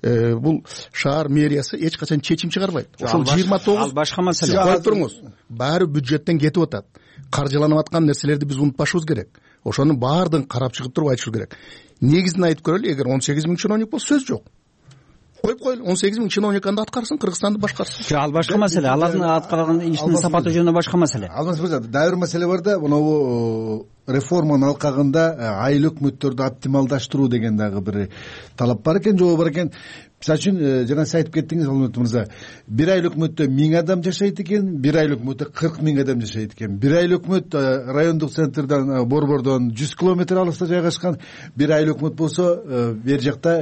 бул шаар мэриясы эч качан чечим чыгарбайт. Ошол 29 башка маселе. Коюп туруңуз. Баары бюджеттен кетип атат. Каржыланып аткан нерселерди биз унутпашыбыз керек. Ошонун баардыгын карап чыгып туруп айтышыбыз керек. Негизин айтып көрөлү, эгер 18 миң чиновник болсо сөз жок. Коюп коелу, 18 миң чиновник анда аткарсын, Кыргызстанды башкарсын. Ал башка маселе. Алардын аткарган ишинин сапаты жөнүндө башка маселе. Алмаз мырза, дагы бир маселе бар да, монобу реформанын алкагында айыл өкмөттөрдү оптималдаштыруу деген дагы бир талап бар экен, жобо бар экен. Мисалы үчүн жана сиз айтып кеттиңиз, Алмаз мырза, бир айыл өкмөттө 1000 адам жашайт экен, бир айыл өкмөттө 40 миң адам жашайт экен. Бир айыл өкмөт райондук центрден, Борбордон 100 километр алыста жайгашкан, бир айыл өкмөт болсо бер жакта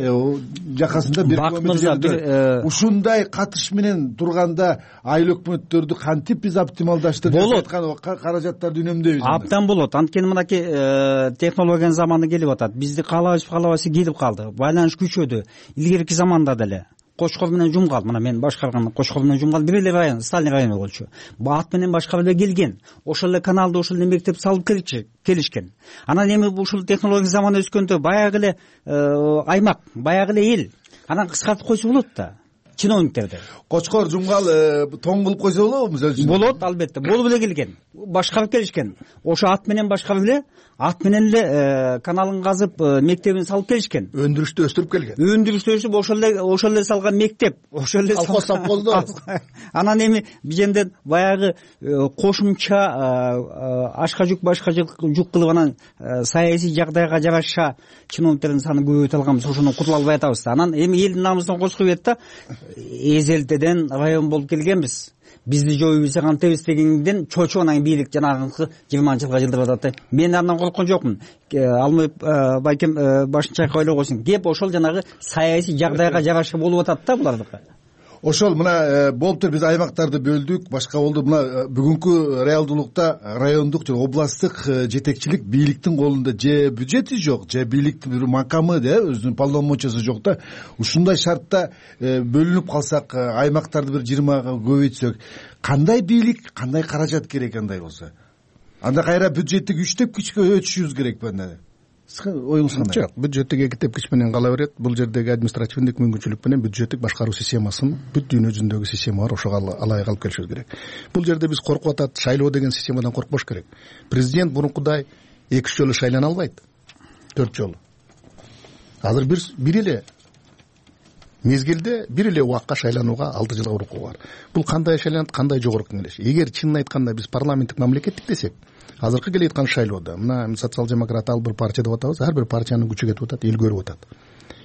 жакасында 1 километр. Ушундай катыш менен турганда айыл өкмөттөрдү кантип биз оптималдаштырып аткан каражаттарды үнөмдөйбүз? Абдан болот. Анткени мынакей технологиянын заманы келип атат. Бизди каалабайбыз келип калды. Байланыш күчөдү. Илгерки заманда деле Кошкор менен Жумгал, мына мен башкарган Кошкор менен Жумгал бир эле район, Сталин району болчу. Ат менен башкарып эле келген. Ошол эле каналды, ошол эле мектеп салып келишкен. Анан эми ушул технология заманы өскөндө баягы эле аймак, баягы эле эл. Анан кыскартып койсо болот да. чиновниктерди. Кочкор Жумгал тоң кылып койсо болобу? Мисалы үчүн болот, албетте. Болуп эле келген. Башкарып келишкен. Ошо ат менен башкарып эле, ат менен эле каналын казып, мектебин салып келишкен. Өндүрүштү өстүрүп келген. Өндүрүштү өстүрүп ошол эле салган мектеп, ошол эле колхоз совхоздо. Анан эми биженден баягы кошумча ашка жүк башка жүк кылып анан саясий жагдайга жараша чиновниктердин саны көбөйтө алганбыз, ошондон кутула албай атабыз. Анан эми элдин намысына кош коюп да, эзелтеден район болуп келгенбиз. Бизди жоюп ийсе кантебиз дегенден чочуп анан бийлик жанагы 20-жылга жылдырып атат. Мен андан корккон жокмун. Алмай байкем башын чайкап ойлой койсун. Кеп ошол жанагы саясий жагдайга жараша болуп атат да булардыкы. Ошол мына болуптур, биз аймактарды бөлдүк, башка болду. Мына бүгүнкү реалдуулукта райондук же областтык жетекчилик бийликтин колунда же бюджети жок, же бийликтин бир макамы, өзүнүн полномочиясы жок да. Ушундай шартта бөлүнүп калсак, аймактарды бир 20га көбөйтсөк, кандай бийлик, кандай каражат керек андай болсо? Анда кайра бюджеттик 3 тепкичке өтүшүбүз керекпи анда? Оюңуз кандай? Жок, бюджеттик 2 тепкич менен кала берет. Бул жердеги административдик мүмкүнчүлүк менен бюджеттик башкаруу системасын бүт дүйнө жүзүндөгү системалар ошого алайык алып келишибиз керек. Бул жерде биз коркуп атат, шайлоо деген системадан коркпош керек. Президент мурункудай 2 жолу шайлана албайт. 4 жолу. Азыр бир эле мезгилде, бир эле убакка шайланууга 6 жылга урукку бар. Бул кандай шайланат, кандай жогорку кеңеш? Эгер чынын айтканда биз парламенттик мамлекеттик десек, азыркы келе аткан шайлоодо мына социал-демократ ал бир партия деп атабыз, ар бир партиянын күчү кетип атат, эл көрүп атат.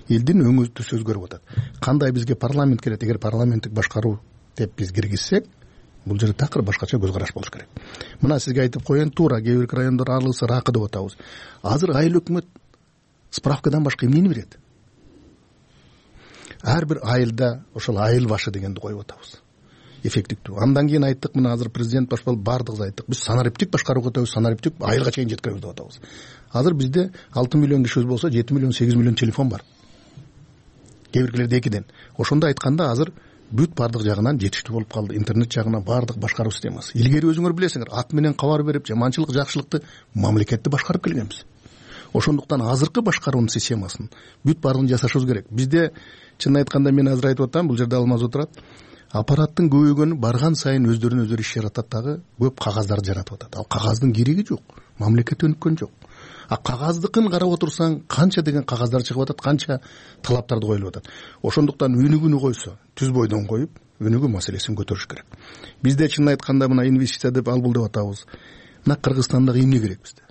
Элдин өңү түз өзгөрүп атат. Кандай бизге парламент керек? Эгер парламенттик башкаруу деп биз киргизсек, бул жерде такыр башкача көз караш болуш керек. Мына сизге айтып коеюн, туура кээ бир райондор алысы ракы деп атабыз. Азыр айыл өкмөт справкадан башка эмнени берет? Ар бир айылда ошол айыл башы дегенди коюп атабыз. Эффектиктүү. Андан кийин айттык, мына азыр президент башкал бардыгыбыз айттык. Биз санариптик башкарууга өтөбүз, санариптик айылга чейин жеткиребиз деп атабыз. Азыр бизде 6 миллион кишибиз болсо, 7 миллион, 8 миллион телефон бар. Кээ биркилерде 2ден. Ошондо айтканда азыр бүт бардык жагынан жетиштүү болуп калды. Интернет жагынан бардык башкаруу системасы. Илгери өзүңөр билесиңер, ат менен кабар берип, жаманчылык, жакшылыкты мамлекетти башкарып келгенбиз. Ошондуктан азыркы башкаруунун системасын бүт бардыгын жасашыбыз керек. Бизде чынын айтканда мен азыр айтып атам, бул жерде Алмаз отурат. Аппараттын көбөйгөнү барган сайын өздөрүнүн өздөрү иш жаратат дагы, көп кагаздарды жаратып атат. Ал кагаздын кереги жок. Мамлекет өнүккөн жок. А кагаздыкын карап отурсаң, канча деген кагаздар чыгып атат, канча талаптарды коюлуп атат. Ошондуктан өнүгүүнү койсо, түз бойдон коюп, өнүгүү маселесин көтөрүш керек. Бизде чынын айтканда мына инвестиция деп албул деп атабыз. Мына Кыргызстандагы эмне керек бизде?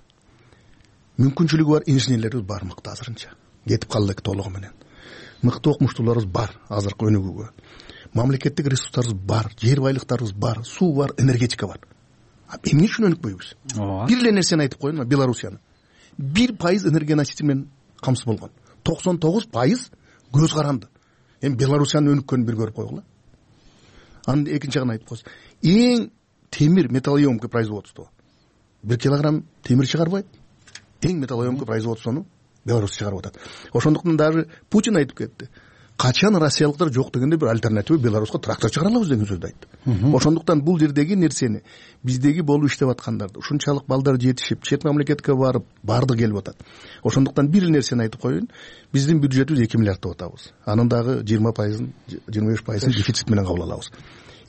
Мүмкүнчүлүгү бар инженерлерибиз бар мыкты азырынча. Кетип калдык толугу менен. Мыкты окумуштууларыбыз бар азыркы өнүгүүгө. Мамлекеттик ресурстарыбыз бар, жер байлыктарыбыз бар, суу бар, энергетика бар. Эмне үчүн өнүкпөйбүз? Бир эле нерсени айтып коеюн, Белоруссияны. 1% энергия носитель менен камсыз болгон. 99% көз каранды. Эми Белоруссиянын өнүккөнүн бир көрүп койгула. Анын экинчи жагын айтып коесуз. Эң темир металлоемкий производство. 1 килограмм темир чыгарбайт. Эң металлоемкий производствону Беларусь чыгарып атат. Ошондуктан даже Путин айтып кетти. Качан россиялыктар жок дегенде бир альтернатива Беларуска трактор чыгара алабыз деген сөздү айтты. Ошондуктан бул жердеги нерсени биздеги болуп иштеп аткандарды, ушунчалык балдар жетишип, чет мамлекетке барып, бардык келип атат. Ошондуктан бир нерсени айтып коеюн, биздин бюджетибиз 2 миллиард деп атабыз. Анын дагы 20%, 25% дефицит менен кабыл алабыз.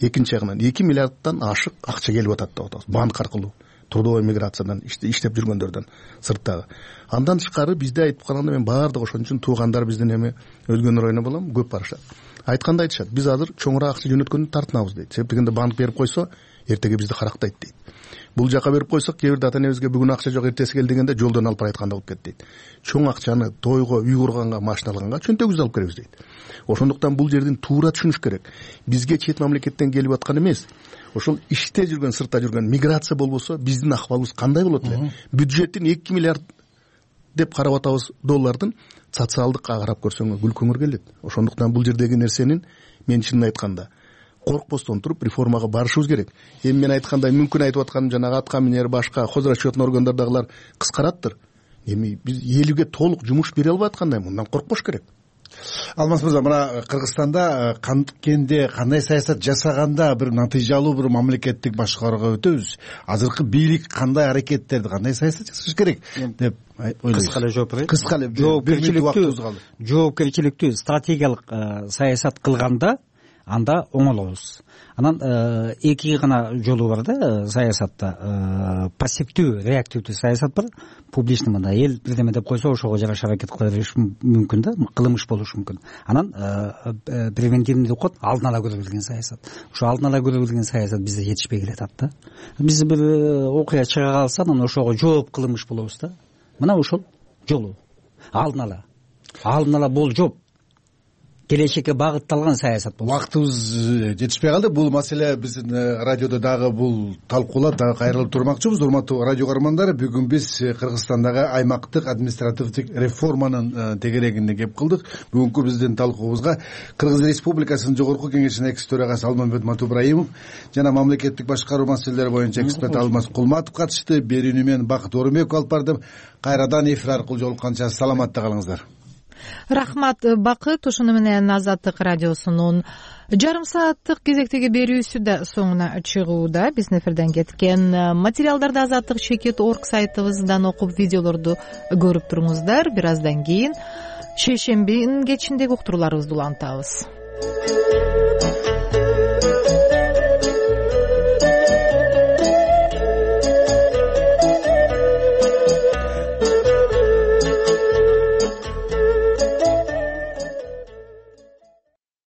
Экинчи жагынан 2 миллиардтан ашык акча келип атат деп атабыз. Банк аркылуу, трудовой миграциядан иштеп жүргөндөрдөн сырттагы. Андан тышкары бизде айтып калганда мен баардык ошон үчүн туугандар биздин эми өзгөнү районуна болом, көп барышат. Айтканда айтышат, биз азыр чоңураак акча жөнөткөндү тартынабыз дейт. Себеп дегенде банк берип койсо, эртеге бизди карактайт дейт. Бул жака берип койсок, кээ бирде ата-энебизге бүгүн акча жок, эртеси кел дегенде жолдон алып барайтканда болуп кетти дейт. Чоң акчаны тойго, үй курганга, машина алганга чөнтөгүбүздү алып келебиз дейт. Ошондуктан бул жердин туура түшүнүш керек. Бизге чет мамлекеттен келип аткан эмес, ошол иште жүргөн, сыртта жүргөн миграция болбосо, биздин акыбалыбыз кандай болот эле? Бюджеттин 2 миллиард деп карап атабыз доллардын социалдыкка карап көрсөңөр күлкөңөр келет. Ошондуктан бул жердеги нерсенин мен чынын айтканда коркпостон туруп реформага барышыбыз керек. Эми мен айткандай мүмкүн айтып атканым жанагы атка минер башка хозрасчетный органдардагылар кыскараттыр. Эми биз элге толук жумуш бере албай аткандай, мындан коркпош керек. Алмаз мырза, мына Кыргызстанда канткенде кандай саясат жасаганда бир натыйжалуу бир мамлекеттик башкарууга өтөбүз. Азыркы бийлик кандай аракеттерди, кандай саясат жасаш керек деп ойлойсуз? Кыска эле жооп берейин. Кыска эле жоопкерчиликтүү стратегиялык саясат кылганда анда оңолобуз. Анан эки гана жолу бар да саясатта. Пассивдүү, реактивдүү саясат бар. Публичный мында эл бирдеме деп койсо ошого жараша аракет кыла бериш мүмкүн да, кылмыш болушу мүмкүн. Анан превентивный деп коет, алдын ала көрө билген саясат. Ошо алдын ала көрө билген саясат бизде жетишпей келатат да. Биз бир окуя чыга калса, анан ошого жооп кылмыш болобуз да. Мына ошол жолу. Алдын ала бул жооп. Келечекке багытталган саясат болот. Убактыбыз жетишпей калды. Бул маселе биздин радиодо дагы бул талкуулап дагы кайрылып турмакчыбыз. Урматтуу радио көрөрмандар, бүгүн биз Кыргызстандагы аймактык административдик реформанын тегерегине кеп кылдык. Бүгүнкү биздин талкуубузга Кыргыз Республикасынын Жогорку Кеңешинин экс төрагасы Алмамбет Матубраимов жана мамлекеттик башкаруу маселелери боюнча эксперт Алмаз Кулматов катышты. Берүүнү мен Бакыт Орунбеков алып бардым. Кайрадан эфир аркылуу жолукканча саламатта калыңыздар. Рахмат Бакыт. Ушуну менен Азаттык радиосунун жарым сааттык кезектеги берүүсү да соңуна чыгууда. Биздин эфирден кеткен материалдарды azatlyk.org сайтыбыздан окуп, видеолорду көрүп туруңуздар. Бир аздан кийин шейшембинин кечиндеги уктурууларыбызды улантабыз.